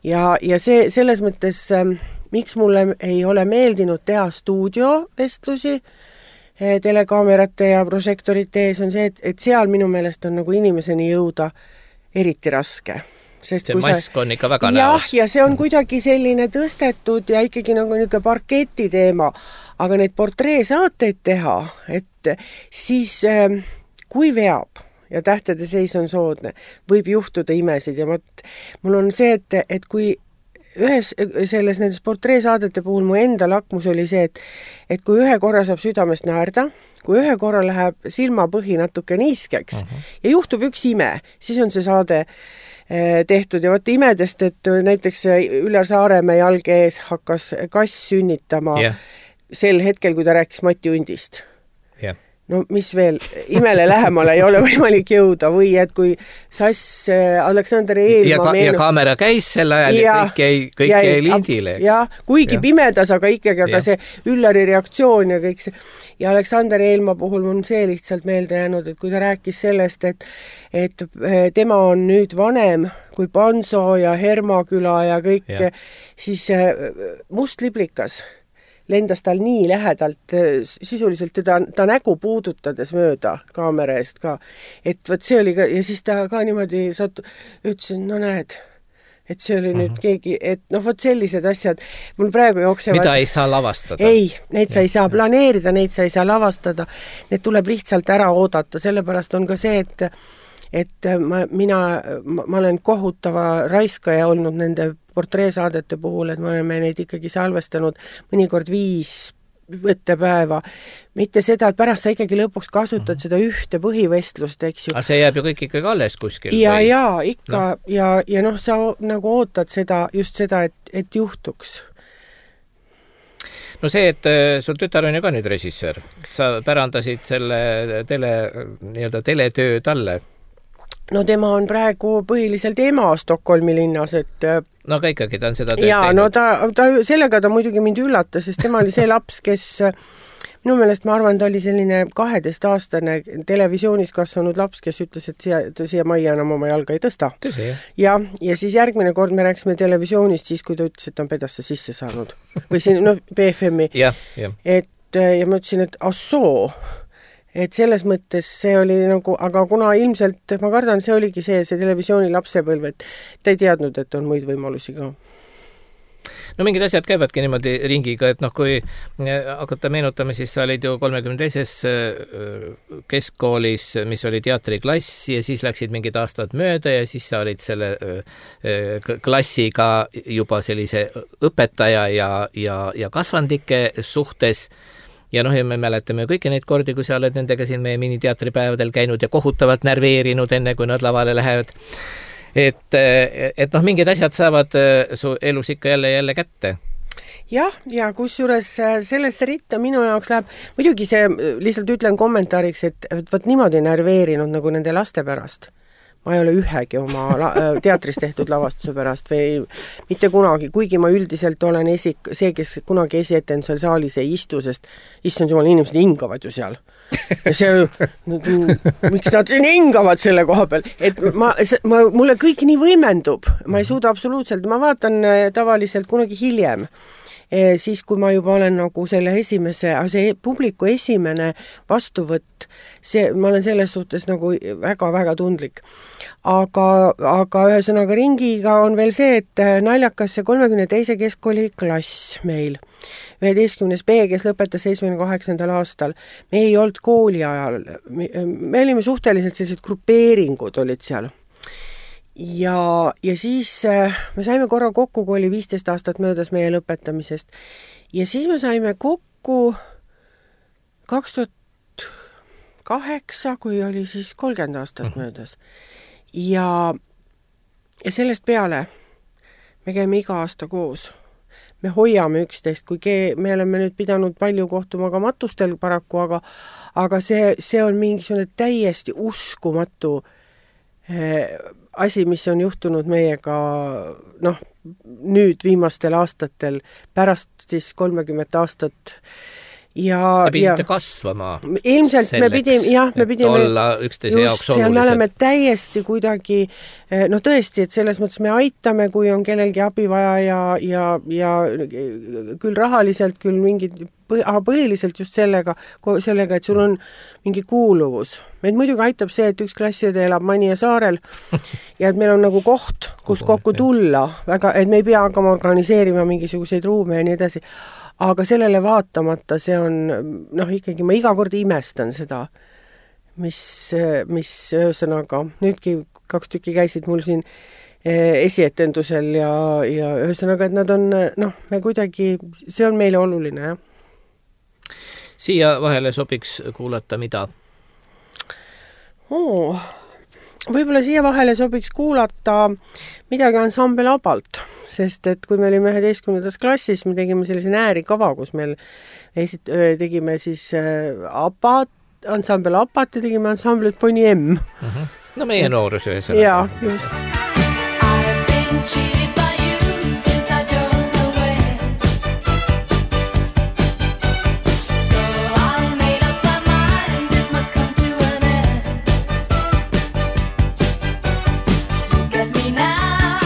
Ja, ja see selles mõttes, miks mulle ei ole meeldinud teha stuudiovestlusi telekaamerate ja prožektorite ees, on see, et, et seal minu meelest on nagu inimeseni jõuda eriti raske. Sest see mask sa... on ikka väga jah, näos. Ja see on kuidagi selline tõstetud ja ikkagi nagu niisugune parketi teema, aga neid portreesaateid teha, et siis kui veab ja tähtede seis on soodne, võib juhtuda imesid ja mõt, mul on see, et, et kui ühes selles nendes portreesaadete puhul mu enda lakmus oli see, et, et kui ühe korra saab südamest naerda, kui ühe korra läheb silmapõhi natuke niiskeks uh-huh. ja juhtub üks ime, siis on see saade tehtud ja võtta imedest, et näiteks Üllar Saaremäe jalge ees hakkas kass sünnitama yeah. sel hetkel, kui ta rääkis Mati Undist. Yeah. No mis veel, imele lähemale ei ole võimalik jõuda või et kui Sass Aleksander Eelma ja, ka, meenu... ja kaamera käis sel ajal ja kõik jäi, kõik jäi, jäi lindile. Ja, kuigi ja. pimedas, aga ikkagi, aga ja. see Üllari reaktsioon ja kõik see. Ja Aleksander Eelma puhul on see lihtsalt meelde jäänud, et kui ta rääkis sellest, et, et tema on nüüd vanem kui Panso ja Hermaküla ja kõik, ja. siis Must liblikas lendas tal nii lähedalt, sisuliselt teda, ta nägu puudutades mööda kaamera eest ka. Et võt see oli ka, ja siis ta ka niimoodi sattu, ütlesin, no näed, et see oli uh-huh. nüüd keegi, et noh, võt sellised asjad, mul praegu jooksevad... Mida ei saa lavastada? Ei, neid sa ei saa planeerida, neid sa ei saa lavastada, need tuleb lihtsalt ära oodata, sellepärast on ka see, et et ma, mina, ma, ma olen kohutava raiskaja olnud nende portreesaadete puhul, et me oleme neid ikkagi salvestanud mõnikord viis võttepäeva. Mitte seda, et pärast sa ikkagi lõpuks kasutad mm-hmm. seda ühte põhivestlust, eks ju. Aga see jääb ju kõik ikkagi alles kuskil? Ja, või? ja, ikka. No. Ja, ja noh, sa nagu ootad seda, just seda, et, et juhtuks. No see, et sul tütar on ju ka nüüd režissöör. Sa pärandasid selle tele, nii-öelda teletöö talle. No tema on praegu põhiliselt ema Stockholmi linnas, et... No aga ikkagi ta on seda tööd ja, teinud. No ta, ta, sellega ta muidugi mind üllatas, sest tema oli see laps, kes... Minu meelest ma arvan, ta oli selline kaheteistaastane televisioonis kasvanud laps, kes ütles, et siia, siia majja enam oma jalga ei tõsta. Tõsi, jah. Ja, ja siis järgmine kord me rääksime televisioonist siis, kui ta ütles, et ta on pedasse sisse saanud. Või siin, no, B F M-i. Ja, ja. Et, ja ma ütlesin, et assoo... Et selles mõttes see oli nagu, aga kuna ilmselt, ma kardan, see oligi see, see televisiooni lapsepõlv, et ta ei teadnud, et on muid võimalusi ka. No mingid asjad käivadki niimoodi ringiga, et noh, kui hakata meenutama, siis sa olid ju kolmekümne teises keskkoolis, mis oli teatriklass ja siis läksid mingid aastad mööda ja siis sa olid selle klassiga juba sellise õpetaja ja, ja, ja kasvandike suhtes. Ja noh, ja me mäletame kõiki neid kordi, kui sa oled nendega siin meie miniteatripäevadel käinud ja kohutavalt närveerinud enne, kui nad lavale lähevad. Et, et noh, mingid asjad saavad su elus ikka jälle jälle kätte. Jah, ja kusjuures sellesse ritta minu jaoks läheb, muidugi see lihtsalt ütlen kommentaariks, et võt niimoodi närveerinud nagu nende laste pärast. Ma ei ole ühegi oma la- teatris tehtud lavastuse pärast või mitte kunagi, kuigi ma üldiselt olen esik, see, kes kunagi esieten seal saalis ei istu, sest issand jumal, inimesed hingavad ju seal. Ja see, miks nad siin hingavad selle koha peal, et ma, ma, mulle kõik nii võimendub, ma ei suuda absoluutselt, ma vaatan tavaliselt kunagi hiljem, siis kui ma juba olen nagu selle esimese, see publiku esimene vastuvõtt, see, ma olen selles suhtes nagu väga-väga tundlik. Aga, aga ühesõnaga ringiga on veel see, et naljakas see kolmekümne teise keskkooli klass meil, üheteistkümnes B, kes lõpetas seitsmekümne kaheksandal aastal. Me ei olnud kooli ajal, me, me olime suhteliselt sellised grupeeringud olid seal. Ja, ja siis me saime korra kokku, kui oli viisteist aastat möödas meie lõpetamisest. Ja siis me saime kokku kaks tuhat kaheksa, kui oli siis kolmkümmend aastat mm-hmm. möödas. Ja, ja sellest peale me käime iga aasta koos. Me hoiame üksteist, kui ke, me oleme nüüd pidanud palju kohtuma ka matustel paraku, aga, aga see, see on mingisugune täiesti uskumatu eh, asi, mis on juhtunud meiega noh, nüüd viimastel aastatel, pärast siis kolmekümmet aastat ja, Te pidite ja kasvama ilmselt selleks, me pidime, jah, me pidime olla üksteise jaoks olulised. Me oleme täiesti kuidagi, noh tõesti, et selles mõttes me aitame, kui on kellelgi abi vaja ja, ja, ja küll rahaliselt, küll mingid, aga põhiliselt just sellega, sellega, et sul on mingi kuuluvus. Meid muidugi aitab see, et üks klassiõde elab Manija saarel ja et meil on nagu koht, kus kokku tulla, väga, et me ei pea hakkama organiseerima mingisuguseid ruume ja nii edasi. Aga sellele vaatamata see on, noh ikkagi ma iga kord imestan seda, mis, mis ühesõnaga, nüüdki kaks tükki käisid mul siin esietendusel ja, ja ühesõnaga, et nad on, noh, me kuidagi, see on meile oluline, jah. Siia vahele sobiks kuulata mida? Oh, võib-olla siia vahele sobiks kuulata midagi ansambel Abalt, sest et kui me olime üheteistkümnendas klassis, me tegime sellise äärikava, kus meil esit- tegime siis Abat, ansambel Abat ja tegime ansamblit Poni M. Uh-huh. No meie noorus ühesõnaga. Jaa, just. I've been cheated by you since I don't know when. So I made up my mind it must come to an end. Look at me now,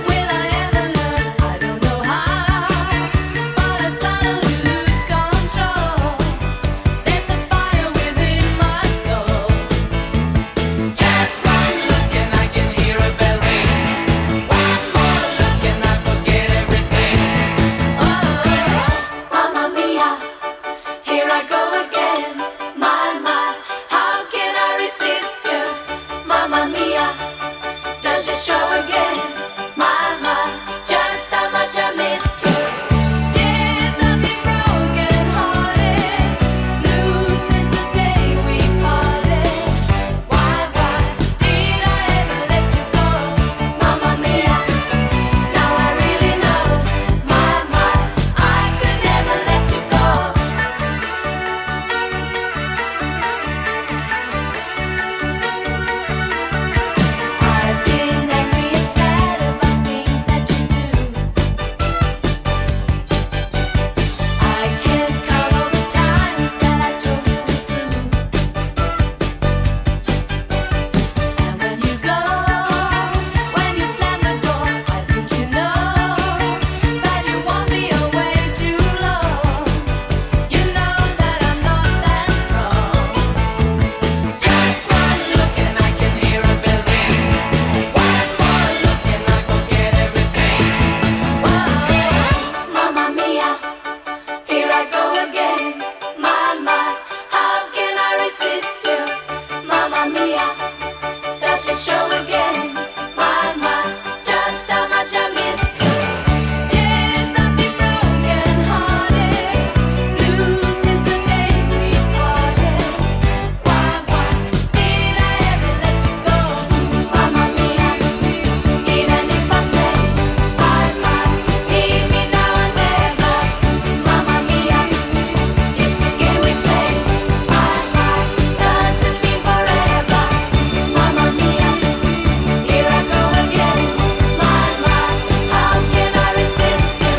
will I ever learn? I don't know how, but I suddenly lose control. There's a fire within my soul. Just one look and I can hear a bell ring. One more look and I forget everything. Oh, Mamma Mia, here I go again. My, my, how can I resist you? Mamma Mia, does it show again? My, my, just how much I missed you. Yes, I've been broken hearted, blue since the day we parted. Why, why did I ever let you go? Mamma Mia, now I really know. My, my, I could never let you go. I've been angry and sad about things that you do. I can't count all the times that I told you the truth. And when you go, when you slam the door, I think you know that you won't be away too long. You know that I'm not that strong. Just one look and I can hear a bell ring. One more look and I forget everything. Whoa, Mamma Mia, here I go again. My, my, how can I resist you? Mamma Mia, does it show again? My, my, just how much I missed you. Yes, I've been broken hearted, blue since the day we parted. Why, why did I ever let you go? Mamma Mia, even if I say I might leave me now and never. Mamma Mia, it's a game we play. I might doesn't mean forever. Mamma Mia, here I go again. My, my, how can I resist you?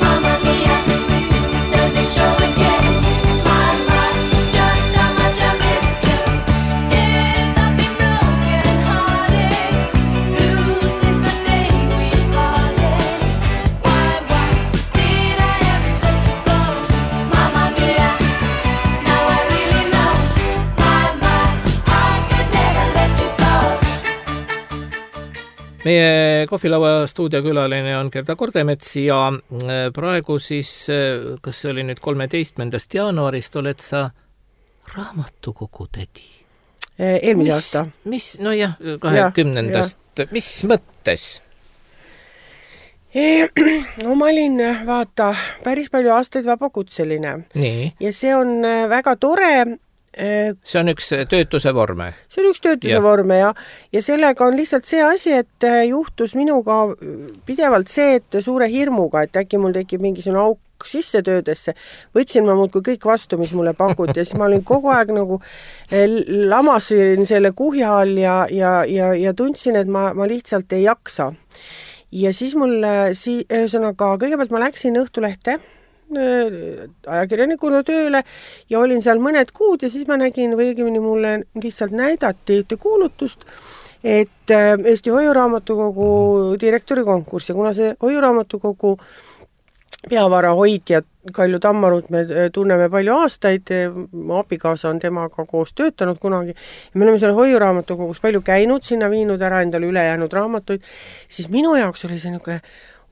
Mamma Mia, does it show again? My, my, just how much I missed you. Yes, I've been broken hearted, blue since the day we parted. Why, why did I ever let you go? Mamma Mia, now I really know. My, my, I could never let you go. Meie kohvilaua stuudiokülaline on Gerda Kordemets ja praegu siis, kas see oli nüüd kolmeteistkümnendast jaanuarist, oled sa raamatukogu tädi? Eelmise aasta. Mis, no jah, kahekümnendast, mis mõttes? No ma olin, vaata, päris palju aastaid vabakutseline. Nii. Ja see on väga tore. See on üks töötuse vorme. See on üks töötuse ja. vorme ja, ja sellega on lihtsalt see asi, et juhtus minuga pidevalt see, et suure hirmuga, et äkki mul tekib mingisugune auk sisse töödesse, võtsin ma muudkui kõik vastu, mis mulle pakuti ja siis ma olin kogu aeg nagu lamasin selle kuhja all ja, ja, ja, ja tundsin, et ma, ma lihtsalt ei jaksa. Ja siis mul, si-, ühesõnaga, kõigepealt ma läksin Õhtulehte ajakirjanikuna tööle ja olin seal mõned kuud ja siis ma nägin või õigemini mulle lihtsalt näidati ühte kuulutust, et Eesti Hoiuraamatukogu direktori konkurss ja kuna see Hoiuraamatukogu peavara hoidjad Kalju Tammarut me tunneme palju aastaid, mu abikaasa on temaga koos töötanud kunagi ja me oleme seal Hoiuraamatukogus palju käinud, sinna viinud ära endale ülejäänud raamatuid, siis minu jaoks oli see niisugune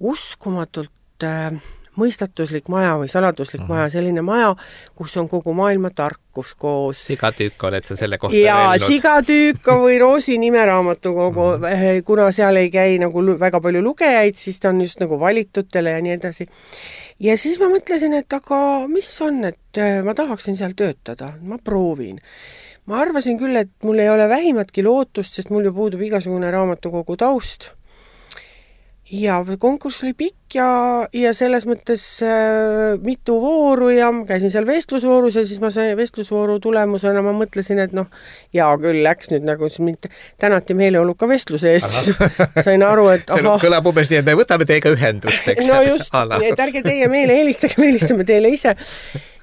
uskumatult äh, mõistatuslik maja või saladuslik mm-hmm. maja, selline maja, kus on kogu maailma tarkus koos. Sigatüüka oled sa selle kohta ja, öelnud? Sigatüüka või Roosi nimeraamatukogu, mm-hmm. kuna seal ei käi nagu väga palju lugejaid, siis ta on just nagu valitutele ja nii edasi. Ja siis ma mõtlesin, et aga mis on, et ma tahaksin seal töötada, ma proovin. Ma arvasin küll, et mul ei ole vähimatki lootust, sest mul ju puudub igasugune raamatukogu taust. Ja konkurss oli pikk ja, ja selles mõttes äh, mitu vooru ja käisin seal vestlusvoorus ja siis ma sain vestlusvooru tulemusena, ma mõtlesin, et noh, jaa küll läks nüüd nagu mind tänati meeleoluka vestluse eest, siis sain aru, et aha. See kõlab umbes nii, et me võtame teiega ühendust, eks? No just, et ärge teie meile helistage, me helistame teile ise.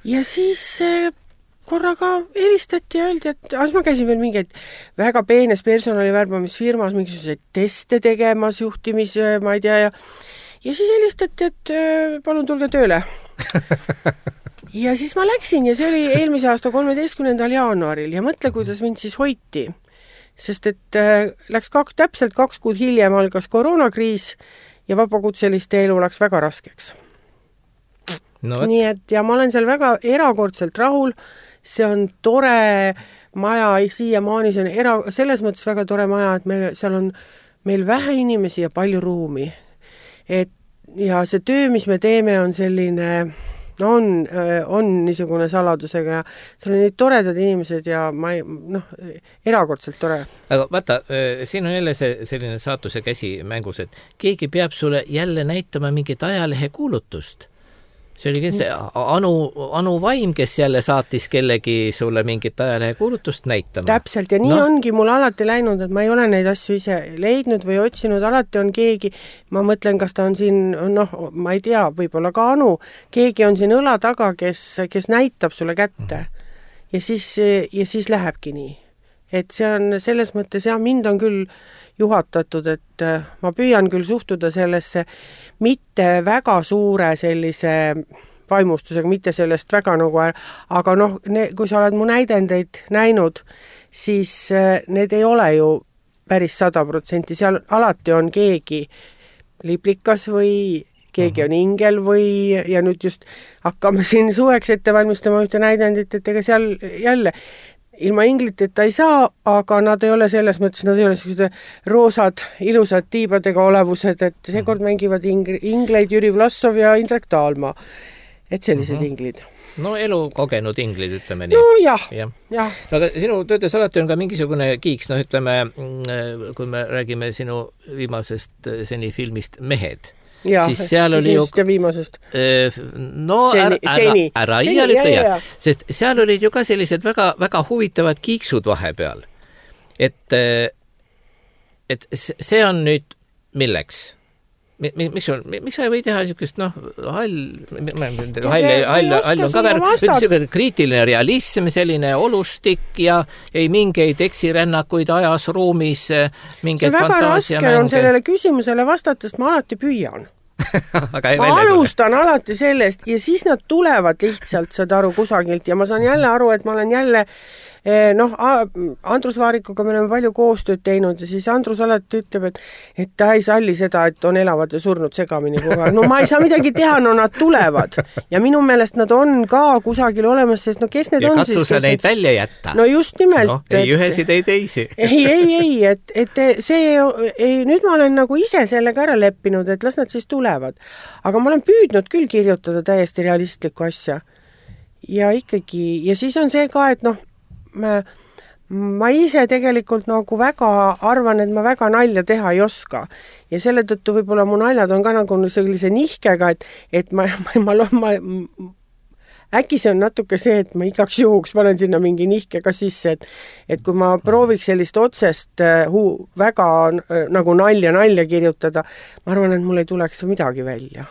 Ja siis äh, korraga helistati ja öeldi, et ah, ma käisin veel mingeid väga peenes personalivärbamisfirmas mingisuguseid teste tegemas, juhtimis, ma ei tea, ja, ja siis helistati, et palun tulge tööle. Ja siis ma läksin ja see oli eelmise aasta kolmeteistkümnendal jaanuaril ja mõtle, kuidas mind siis hoiti. Sest et äh, läks kaks, täpselt kaks kuud hiljem algas koroonakriis ja vabakutseliste elu läks väga raskeks. No, nii et ja ma olen seal väga erakordselt rahul, see on tore maja, siiamaani see on era, selles mõttes väga tore maja, et meil, seal on meil vähe inimesi ja palju ruumi. Et, ja see töö, mis me teeme, on selline, on, on niisugune saladusega ja seal on neid toredad inimesed ja ma ei, noh, erakordselt tore. Aga vaata, siin on jälle see, selline saatuse käsi mängus, et keegi peab sulle jälle näitama mingit ajalehe kuulutust. See oli kindlasti Anu, Anu Vaim, kes jälle saatis kellegi sulle mingit ajalehe kuulutust näitama. Täpselt, ja nii no. ongi mul alati läinud, et ma ei ole neid asju ise leidnud või otsinud, alati on keegi, ma mõtlen, kas ta on siin, noh, ma ei tea, võib-olla ka Anu, keegi on siin õla taga, kes, kes näitab sulle kätte. Ja siis, ja siis lähebki nii. Et see on selles mõttes, ja mind on küll juhatatud, et ma püüan küll suhtuda sellesse mitte väga suure sellise vaimustusega, mitte sellest väga nagu, aga noh, ne, kui sa oled mu näidendeid näinud, siis need ei ole ju päris sada protsenti, seal alati on keegi liplikas või keegi on ingel või, ja nüüd just hakkame siin suveks ette valmistama ühte näidendit, et ega seal jälle ilma ingliteta ei saa, aga nad ei ole selles mõttes, nad ei ole sellised roosad, ilusad tiibadega olevused, et seekord mängivad ing- ingleid Jüri Vlassov ja Indrek Taalma. Et sellised mm-hmm. inglid. No elu kogenud inglid, ütleme nii. No jah, jah. ja. No, aga sinu töödes alati on ka mingisugune kiiks, no ütleme, kui me räägime sinu viimasest seni filmist Mehed. Ja, siis seal oli ju... ja viimasest. No seni, ära, ära, ära seni, iial ütle, jah. Sest seal olid ju ka sellised väga, väga huvitavad kiiksud vahepeal. Et, et see on nüüd milleks? Miks, on, miks sa ei või teha niisugust, noh, hall, hall, hall, hall on ka väär, kriitiline realism, selline olustik ja ei mingeid eksirännakuid ajas, ruumis, mingeid fantaasia mänge. See väga raske on sellele küsimusele vastatest, ma alati püüan. ma alustan tule. alati sellest ja siis nad tulevad lihtsalt, saad aru, kusagilt ja ma saan jälle aru, et ma olen jälle noh, Andrus Vaarikuga me oleme palju koostööd teinud ja siis Andrus alati ütleb, et, et ta ei salli seda, et on elavad ja surnud segamini kogu. No ma ei saa midagi teha, no nad tulevad. Ja minu meelest nad on ka kusagil olemas, sest no kes need ja on siis? Ja katsu sa neid need... välja jätta. No just nimelt. No, ei et... ühesid, ei teisi. ei, ei, ei, et, et see, ei, nüüd ma olen nagu ise sellega ära leppinud, et las nad siis tulevad. Aga ma olen püüdnud küll kirjutada täiesti realistlikku asja. Ja ikkagi, ja siis on see ka, et noh, Ma, ma ise tegelikult nagu väga arvan, et ma väga nalja teha ei oska. Ja selle tõttu võib-olla mu naljad on ka nagu sellise nihkega, et, et ma, ma, ma, ma, äkki see on natuke see, et ma igaks juhuks panen sinna mingi nihkega sisse, et, et kui ma prooviks sellist otsest huu, väga nagu nalja nalja kirjutada, ma arvan, et mul ei tuleks midagi välja.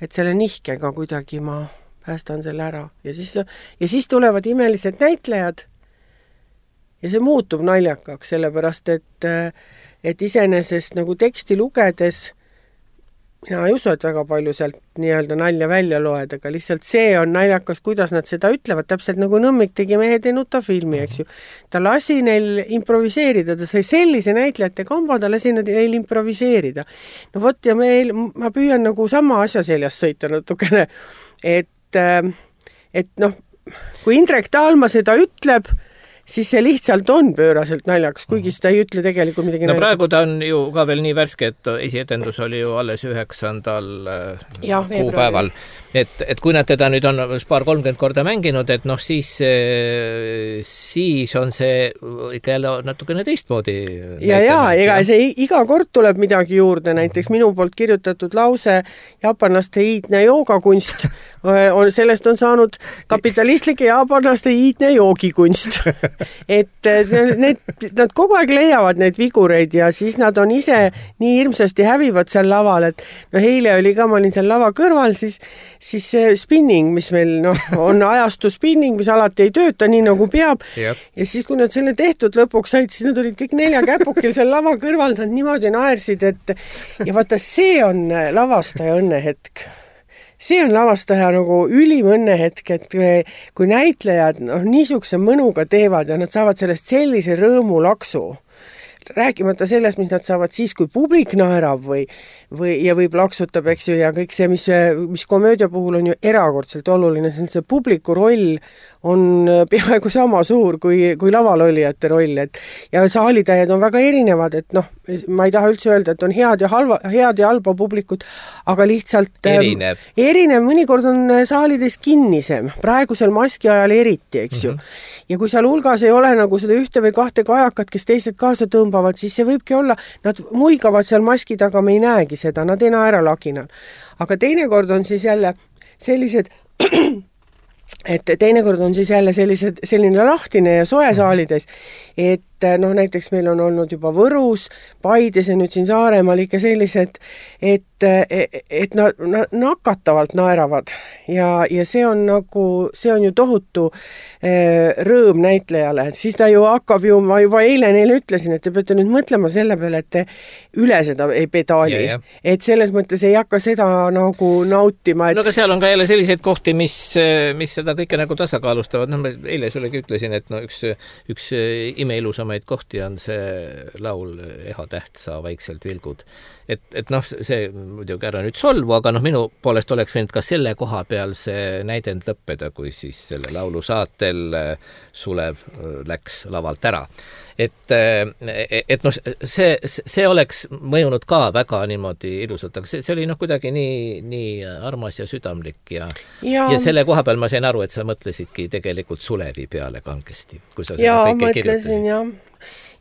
et selle nihkega kuidagi ma päästan selle ära. Ja siis, ja siis tulevad imelised näitlejad ja see muutub naljakaks, sellepärast, et, et iseenesest nagu teksti lugedes mina ei usu, et väga palju sealt nii-öelda nalja välja loed, aga lihtsalt see on naljakas, kuidas nad seda ütlevad, täpselt nagu Nõmmik tegi Mehed ei nuta filmi, eks ju. Ta lasi neil improviseerida, ta sai sellise näitlejate kamba, ta lasi neil improviseerida. No vot, ja meil, ma püüan nagu sama asja seljas sõita natukene, et, et noh, kui Indrek Taalma seda ütleb, siis see lihtsalt on pööraselt naljakas, kuigi seda ei ütle tegelikult midagi no naljakas. Praegu ta on ju ka veel nii värske, et esietendus oli ju alles üheksandal ja, kuupäeval. Et, et kui nad teda nüüd on paar kolmkümmend korda mänginud, et noh, siis, siis on see ikka jälle natukene teistmoodi. Ja, ja, ega see iga kord tuleb midagi juurde, näiteks minu poolt kirjutatud lause jaapanlaste iidne joogakunst, on, sellest on saanud kapitalistlike jaapanlaste iidne joogikunst. Et need, nad kogu aeg leiavad neid vigureid ja siis nad on ise nii hirmsasti hävivad seal laval, et no eile oli ka, ma olin seal lava kõrval, siis, siis see spinning, mis meil no, on ajastu spinning, mis alati ei tööta nii nagu peab yep. Ja siis kui nad selle tehtud lõpuks said, siis nad olid kõik nelja käpukil seal lava kõrval, nad niimoodi naersid, et ja vaata, see on lavastaja õnnehetk. See on lavastaja nagu ülim õnnehetk, et kui näitlejad no, niisuguse mõnuga teevad ja nad saavad sellest sellise rõõmu laksu, rääkimata sellest, mis nad saavad siis, kui publik naerab või, või, ja või plaksutab, eks ju, ja kõik see, mis, mis komöödia puhul on ju erakordselt oluline, see on see publiku roll on peaaegu sama suur kui, kui laval olijate roll, et ja saalitäied on väga erinevad, et noh, ma ei taha üldse öelda, et on head ja halva, head ja halba publikut, aga lihtsalt erinev, ähm, erinev mõnikord on saalides kinnisem, praegusel maski ajal eriti, eks ju. Mm-hmm. Ja kui seal hulgas ei ole nagu seda ühte või kahte kajakat, kes teised kaasa tõmbavad, siis see võibki olla, nad muigavad seal maski taga, me ei näegi seda, nad ei naera laginal. Aga teinekord on siis jälle sellised et teinekord on siis jälle sellised, selline lahtine ja soe saalides, et noh, näiteks meil on olnud juba Võrus, Paides ja nüüd siin Saaremaal ikka sellised, et, et nad na, nakatavalt naeravad ja, ja see on nagu, see on ju tohutu eh, rõõm näitlejale, et siis ta ju hakkab ju, ma juba eile neile ütlesin, et te peate nüüd mõtlema selle peale, et te üle seda ei pedaali, yeah, yeah. Et selles mõttes ei hakka seda nagu nautima. Et... No aga seal on ka jälle selliseid kohti, mis, mis seda kõike nagu tasakaalustavad, noh, ma eile sullegi ütlesin, et no üks, üks imeilusamaid kohti on see laul Eha täht sa vaikselt vilgud. Et, et noh, see muidugi ära nüüd solvu, aga noh, minu poolest oleks võinud ka selle koha peal see näidend lõppeda, kui siis selle laulu saatel Sulev läks lavalt ära. Et, et noh, see, see oleks mõjunud ka väga niimoodi ilusalt, aga see, see oli noh kuidagi nii, nii armas ja südamlik ja, ja. ja selle koha peal ma sain aru, et sa mõtlesidki tegelikult Sulevi peale kangesti, kui sa seda kõike kirjutasid. Jah.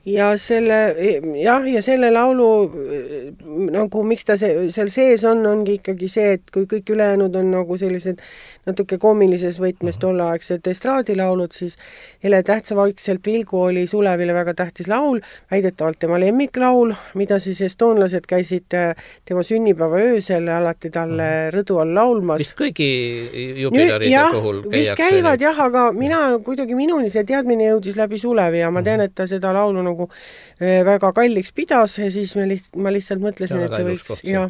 Ja selle, jah, ja selle laulu nagu miks ta see, seal sees on, ongi ikkagi see, et kui kõik ülejäänud on nagu sellised natuke koomilises võtmes tolleaegsed estraadilaulud, siis Ele tähtsa vaikselt vilgu oli Sulevile väga tähtis laul, väidetavalt tema lemmiklaul, mida siis estoonlased käisid tema sünnipäeva öösel alati talle rõdu all laulmas. Vist kõigi jubilaride ja, puhul käiakse. Vist käivad jah, aga mina kuidagi minuni see teadmine jõudis läbi Sulevi ja ma tean, et ta seda laulu nagu väga kalliks pidas ja siis ma, liht, ma lihtsalt mõtlesin, et see võiks... Ja.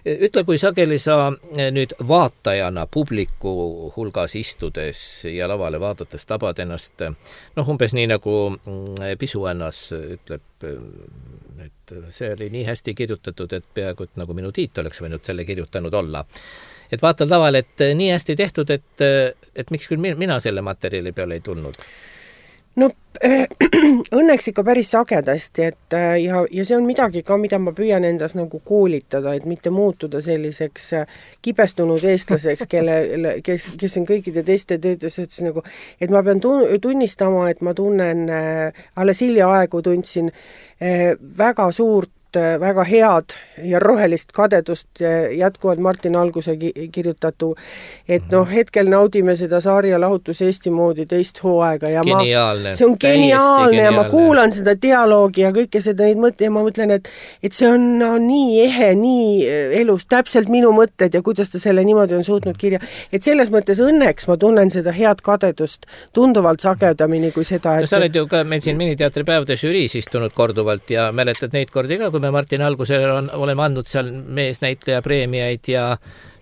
Ütle, kui sageli sa nüüd vaatajana publiku hulgas istudes ja lavale vaadates tabad ennast, noh umbes nii nagu Pisuännas ütleb, et see oli nii hästi kirjutatud, et peaaegu et nagu minu Tiit oleks võinud selle kirjutanud olla. Et vaatad laval, et nii hästi tehtud, et, et miks küll mina selle materjali peale ei tulnud? No äh, õnneks ikka päris sagedasti, et äh, ja, ja see on midagi ka, mida ma püüan endas nagu koolitada, et mitte muutuda selliseks äh, kibestunud eestlaseks, kelle, kes, kes on kõikide teiste töödes ütles nagu, et ma pean tunnistama, et ma tunnen äh, alles hilja aegu tundsin äh, väga suurt väga head ja rohelist kadedust jätkuvalt Martin Alguse kirjutatu, et noh, hetkel naudime seda Saarja lahutus Eesti moodi teist hooaega ja geniaalne, ma, see on geniaalne ja ma kuulan seda dialoogi ja kõike seda neid mõtteid ja ma mõtlen, et, et see on no, nii ehe, nii elus, täpselt minu mõtted ja kuidas ta selle niimoodi on suutnud kirja. Et selles mõttes õnneks ma tunnen seda head kadedust tunduvalt sagedamini kui seda, et... No, sa oled ju ka meil siin miniteatripäevade žüriis istunud korduvalt ja mäletad neid kordi ka, kui me Martin Algusele on, oleme andnud seal meesnäitleja preemiaid ja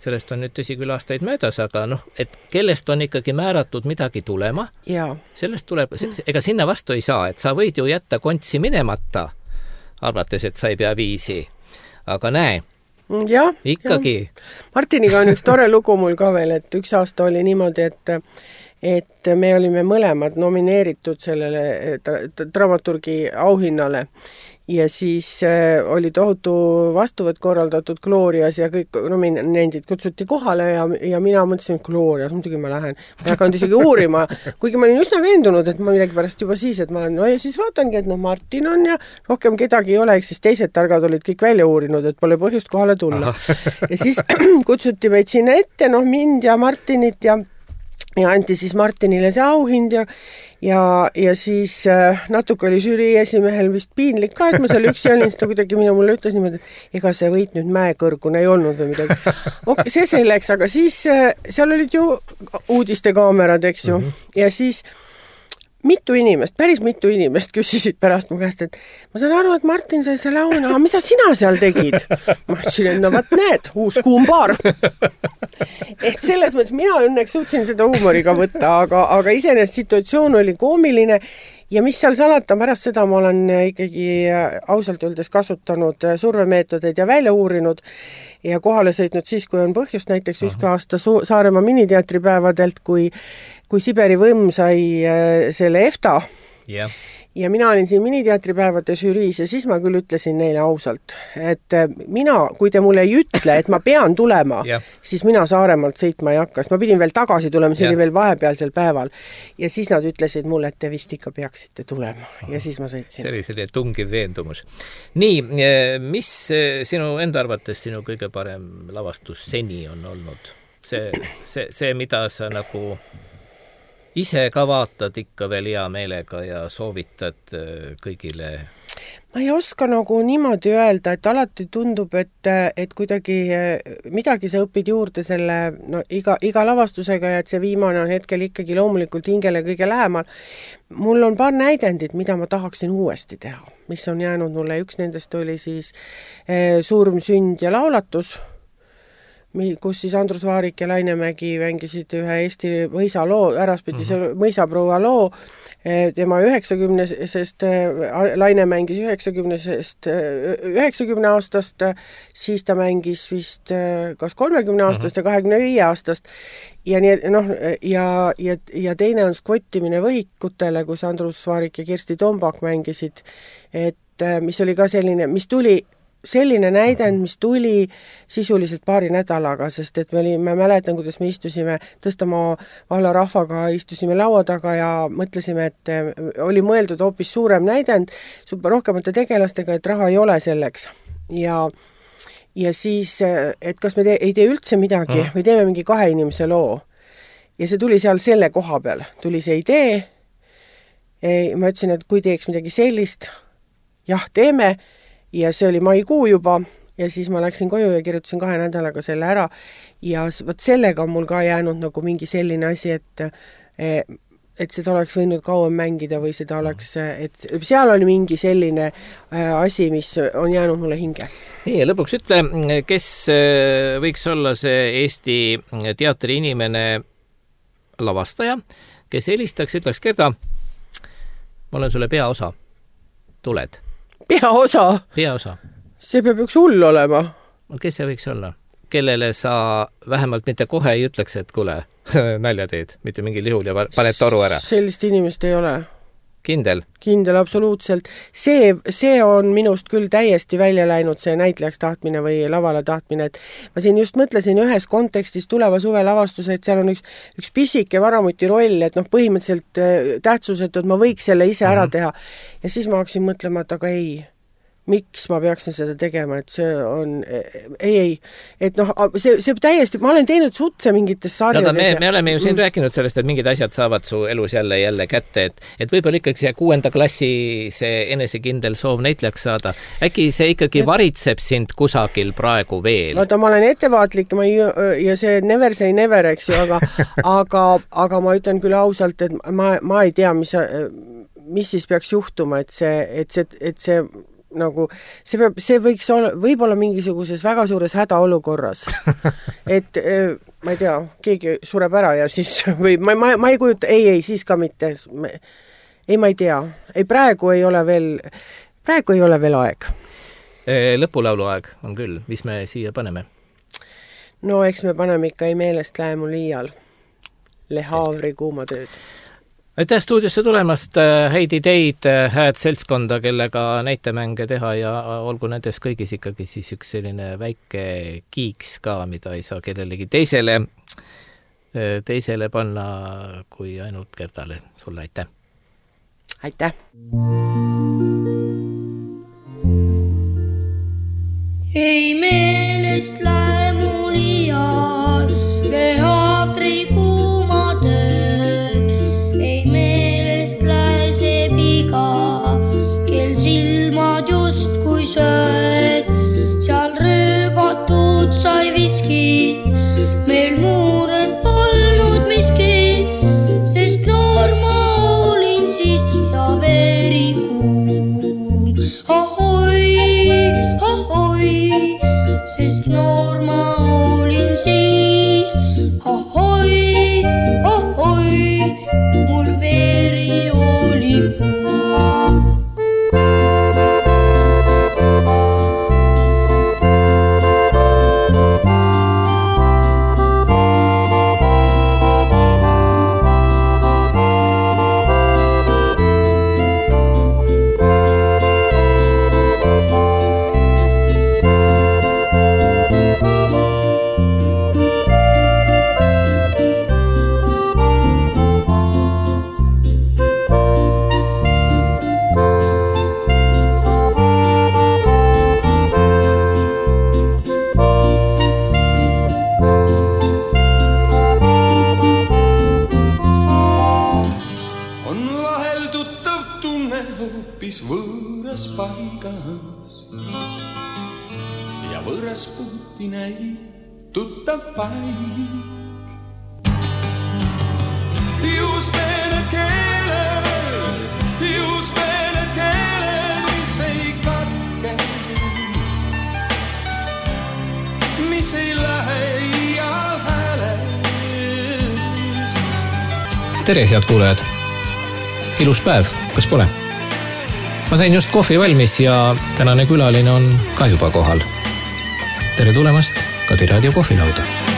sellest on nüüd tõsi küll aastaid möödas, aga noh, et kellest on ikkagi määratud midagi tulema, ja. Sellest tuleb, ega sinna vastu ei saa, et sa võid ju jätta kontsi minemata, arvates, et sa ei pea viisi, aga näe, ja, ikkagi. Ja. Martiniga on üks tore lugu mul ka veel, et üks aasta oli niimoodi, et et me olime mõlemad nomineeritud sellele dramaturgi auhinnale ja siis äh, oli tohutu vastuvõtt korraldatud Glorias ja kõik nominendid kutsuti kohale ja, ja mina mõtlesin, et Glorias, muidugi ma lähen. Ma ei hakanud isegi uurima, kuigi ma olin üsna veendunud, et ma midagi pärast juba siis, et ma no ja siis vaatangi, et noh, Martin on ja rohkem kedagi ei ole, eks siis teised targad olid kõik välja uurinud, et pole põhjust kohale tulla. Ja siis kutsuti meid sinna ette, noh mind ja Martinit ja ja anti siis Martinile see auhind ja, ja, ja siis äh, natuke oli žürii esimehel vist piinlik ka, et ma seal üksi olin, seda kuidagi mina mulle ütles niimoodi, et ega see võit nüüd mäekõrgune ei olnud või midagi. Okay, see selleks, aga siis äh, seal olid ju uudistekaamerad, eks ju, mm-hmm. ja siis mitu inimest, päris mitu inimest küsisid pärast mu käest, et ma saan aru, et Martin sai selle auhinna, aga mida sina seal tegid? Ma ütlesin, et no vaat näed, uus kuumbaar. Et selles mõttes mina õnneks suutsin seda huumoriga võtta, aga, aga iseenesest situatsioon oli koomiline ja mis seal salata, pärast seda ma olen ikkagi ausalt öeldes kasutanud survemeetodeid ja välja uurinud ja kohale sõitnud siis, kui on põhjust, näiteks üks aasta Saaremaa miniteatripäevadelt, kui kui Siberi võmm sai selle EFTA yeah. ja mina olin siin miniteatripäevade žüriis ja siis ma küll ütlesin neile ausalt, et mina, kui te mulle ei ütle, et ma pean tulema, yeah. siis mina Saaremaalt sõitma ei hakka, sest ma pidin veel tagasi tulema, see yeah. oli veel vahepealsel päeval ja siis nad ütlesid mulle, et te vist ikka peaksite tulema ja siis ma sõitsin. See oli selline tungiv veendumus. Nii, mis sinu enda arvates sinu kõige parem lavastus seni on olnud? See, see, see mida sa nagu ise ka vaatad ikka veel hea meelega ja soovitad kõigile? Ma ei oska nagu niimoodi öelda, et alati tundub, et, et kuidagi midagi sa õpid juurde selle no, iga, iga lavastusega ja et see viimane on hetkel ikkagi loomulikult hingele kõige lähemal. Mul on paar näidendit, mida ma tahaksin uuesti teha, mis on jäänud mulle. Üks nendest oli siis eh, Surm, sünd ja laulatus, kus siis Andrus Vaarik ja Lainemägi mängisid ühe Eesti mõisa loo, äraspidise mm-hmm. mõisaproua loo, tema üheksakümnesest, Laine mängis üheksakümnesest, üheksakümne aastast, siis ta mängis vist kas kolmekümne aastast ja kahekümne viie aastast ja nii, noh, ja, ja, ja teine on skvottimine võhikutele, kus Andrus Vaarik ja Kirsti Tombak mängisid, et mis oli ka selline, mis tuli selline näidend, mis tuli sisuliselt paari nädalaga, sest et me oli, ma mäletan, kuidas me istusime Tõstamaa valla rahvaga, istusime laua taga ja mõtlesime, et oli mõeldud hoopis suurem näidend, rohkemate tegelastega, et raha ei ole selleks. Ja, ja siis, et kas me te, ei tee üldse midagi või teeme mingi kahe inimese loo. Ja see tuli seal selle koha peal, tuli see idee. Ma ütlesin, et kui teeks midagi sellist, jah, teeme. Ja see oli maikuu juba ja siis ma läksin koju ja kirjutasin kahe nädalaga selle ära ja võt sellega on mul ka jäänud nagu mingi selline asi, et, et seda oleks võinud kauem mängida või seda oleks, et seal oli mingi selline asi, mis on jäänud mulle hinge. Nii, ja lõpuks ütle, kes võiks olla see Eesti teatri inimene lavastaja, kes helistaks, ütleks, Gerda, ma olen sulle peaosa, tuled? Peaosa? Peaosa. See peab üks hull olema. Kes see võiks olla? Kellele sa vähemalt mitte kohe ei ütleks, et kuule, nalja teed, mitte mingil juhul ja paned toru ära? Sellist inimest ei ole. Kindel? Kindel, absoluutselt. See, see on minust küll täiesti välja läinud, see näitlejaks tahtmine või lavale tahtmine. Et ma siin just mõtlesin ühes kontekstis tuleva suve lavastuse, et seal on üks, üks pisike varamuti roll, et noh, põhimõtteliselt tähtsusetu, et ma võiks selle ise ära teha. Ja siis ma hakkasin mõtlema, et aga ei, miks ma peaksin seda tegema, et see on, ei, ei, et noh, see, see täiesti, ma olen teinud sutse mingites sarjades. Me, me oleme ju siin mm. rääkinud sellest, et mingid asjad saavad su elus jälle jälle kätte, et, et võib-olla ikkagi see kuuenda klassi see enesekindel soov näitlejaks saada, äkki see ikkagi et... varitseb sind kusagil praegu veel? Vaata, ma olen ettevaatlik ma ei, ja see never say never, eks ju, aga, aga, aga ma ütlen küll ausalt, et ma, ma ei tea, mis, mis siis peaks juhtuma, et see, et see, et see nagu, see peab, see võiks olla, võib-olla mingisuguses väga suures hädaolukorras. et ma ei tea, keegi sureb ära ja siis, või ma, ma, ma ei kujuta, ei, ei, siis ka mitte. Ei, ma ei tea. Ei, praegu ei ole veel, praegu ei ole veel aeg. Lõpulaulu aeg on küll, mis me siia paneme? No eks me paneme ikka ei meelest lähe mul iial. Le Havri kuumatööd. Aitäh stuudiosse tulemast, häid ideid, hääd seltskonda, kellega näitemänge teha ja olgu nendes kõigis ikkagi siis üks selline väike kiiks ka, mida ei saa kellelegi teisele, teisele panna kui ainult Gertale. Sulle aitäh! Aitäh! Ei meelest lähe mul iial Le Havri kuumatööd. Ei meelest lähe see piga, kel silmad just kui sööd. Seal rööbatud sai viskid, meil muured polnud miskid, sest noor ma olin siis ja veri kuum. Ahoi, ahoi, sest noor ma olin siis. Ahoi, ahoi, mul veri oli kuum. Võõras paigas ja võõras puuti näib tuttav paik. Just need keeled, just need keeled, mis ei katke, mis ei lähe iial häälest. Tere, head kuulajad! Ilus päev, kas pole? Ma sain just kohvi valmis ja tänane külaline on ka juba kohal. Tere tulemast Kadi Raadio kohvilauda!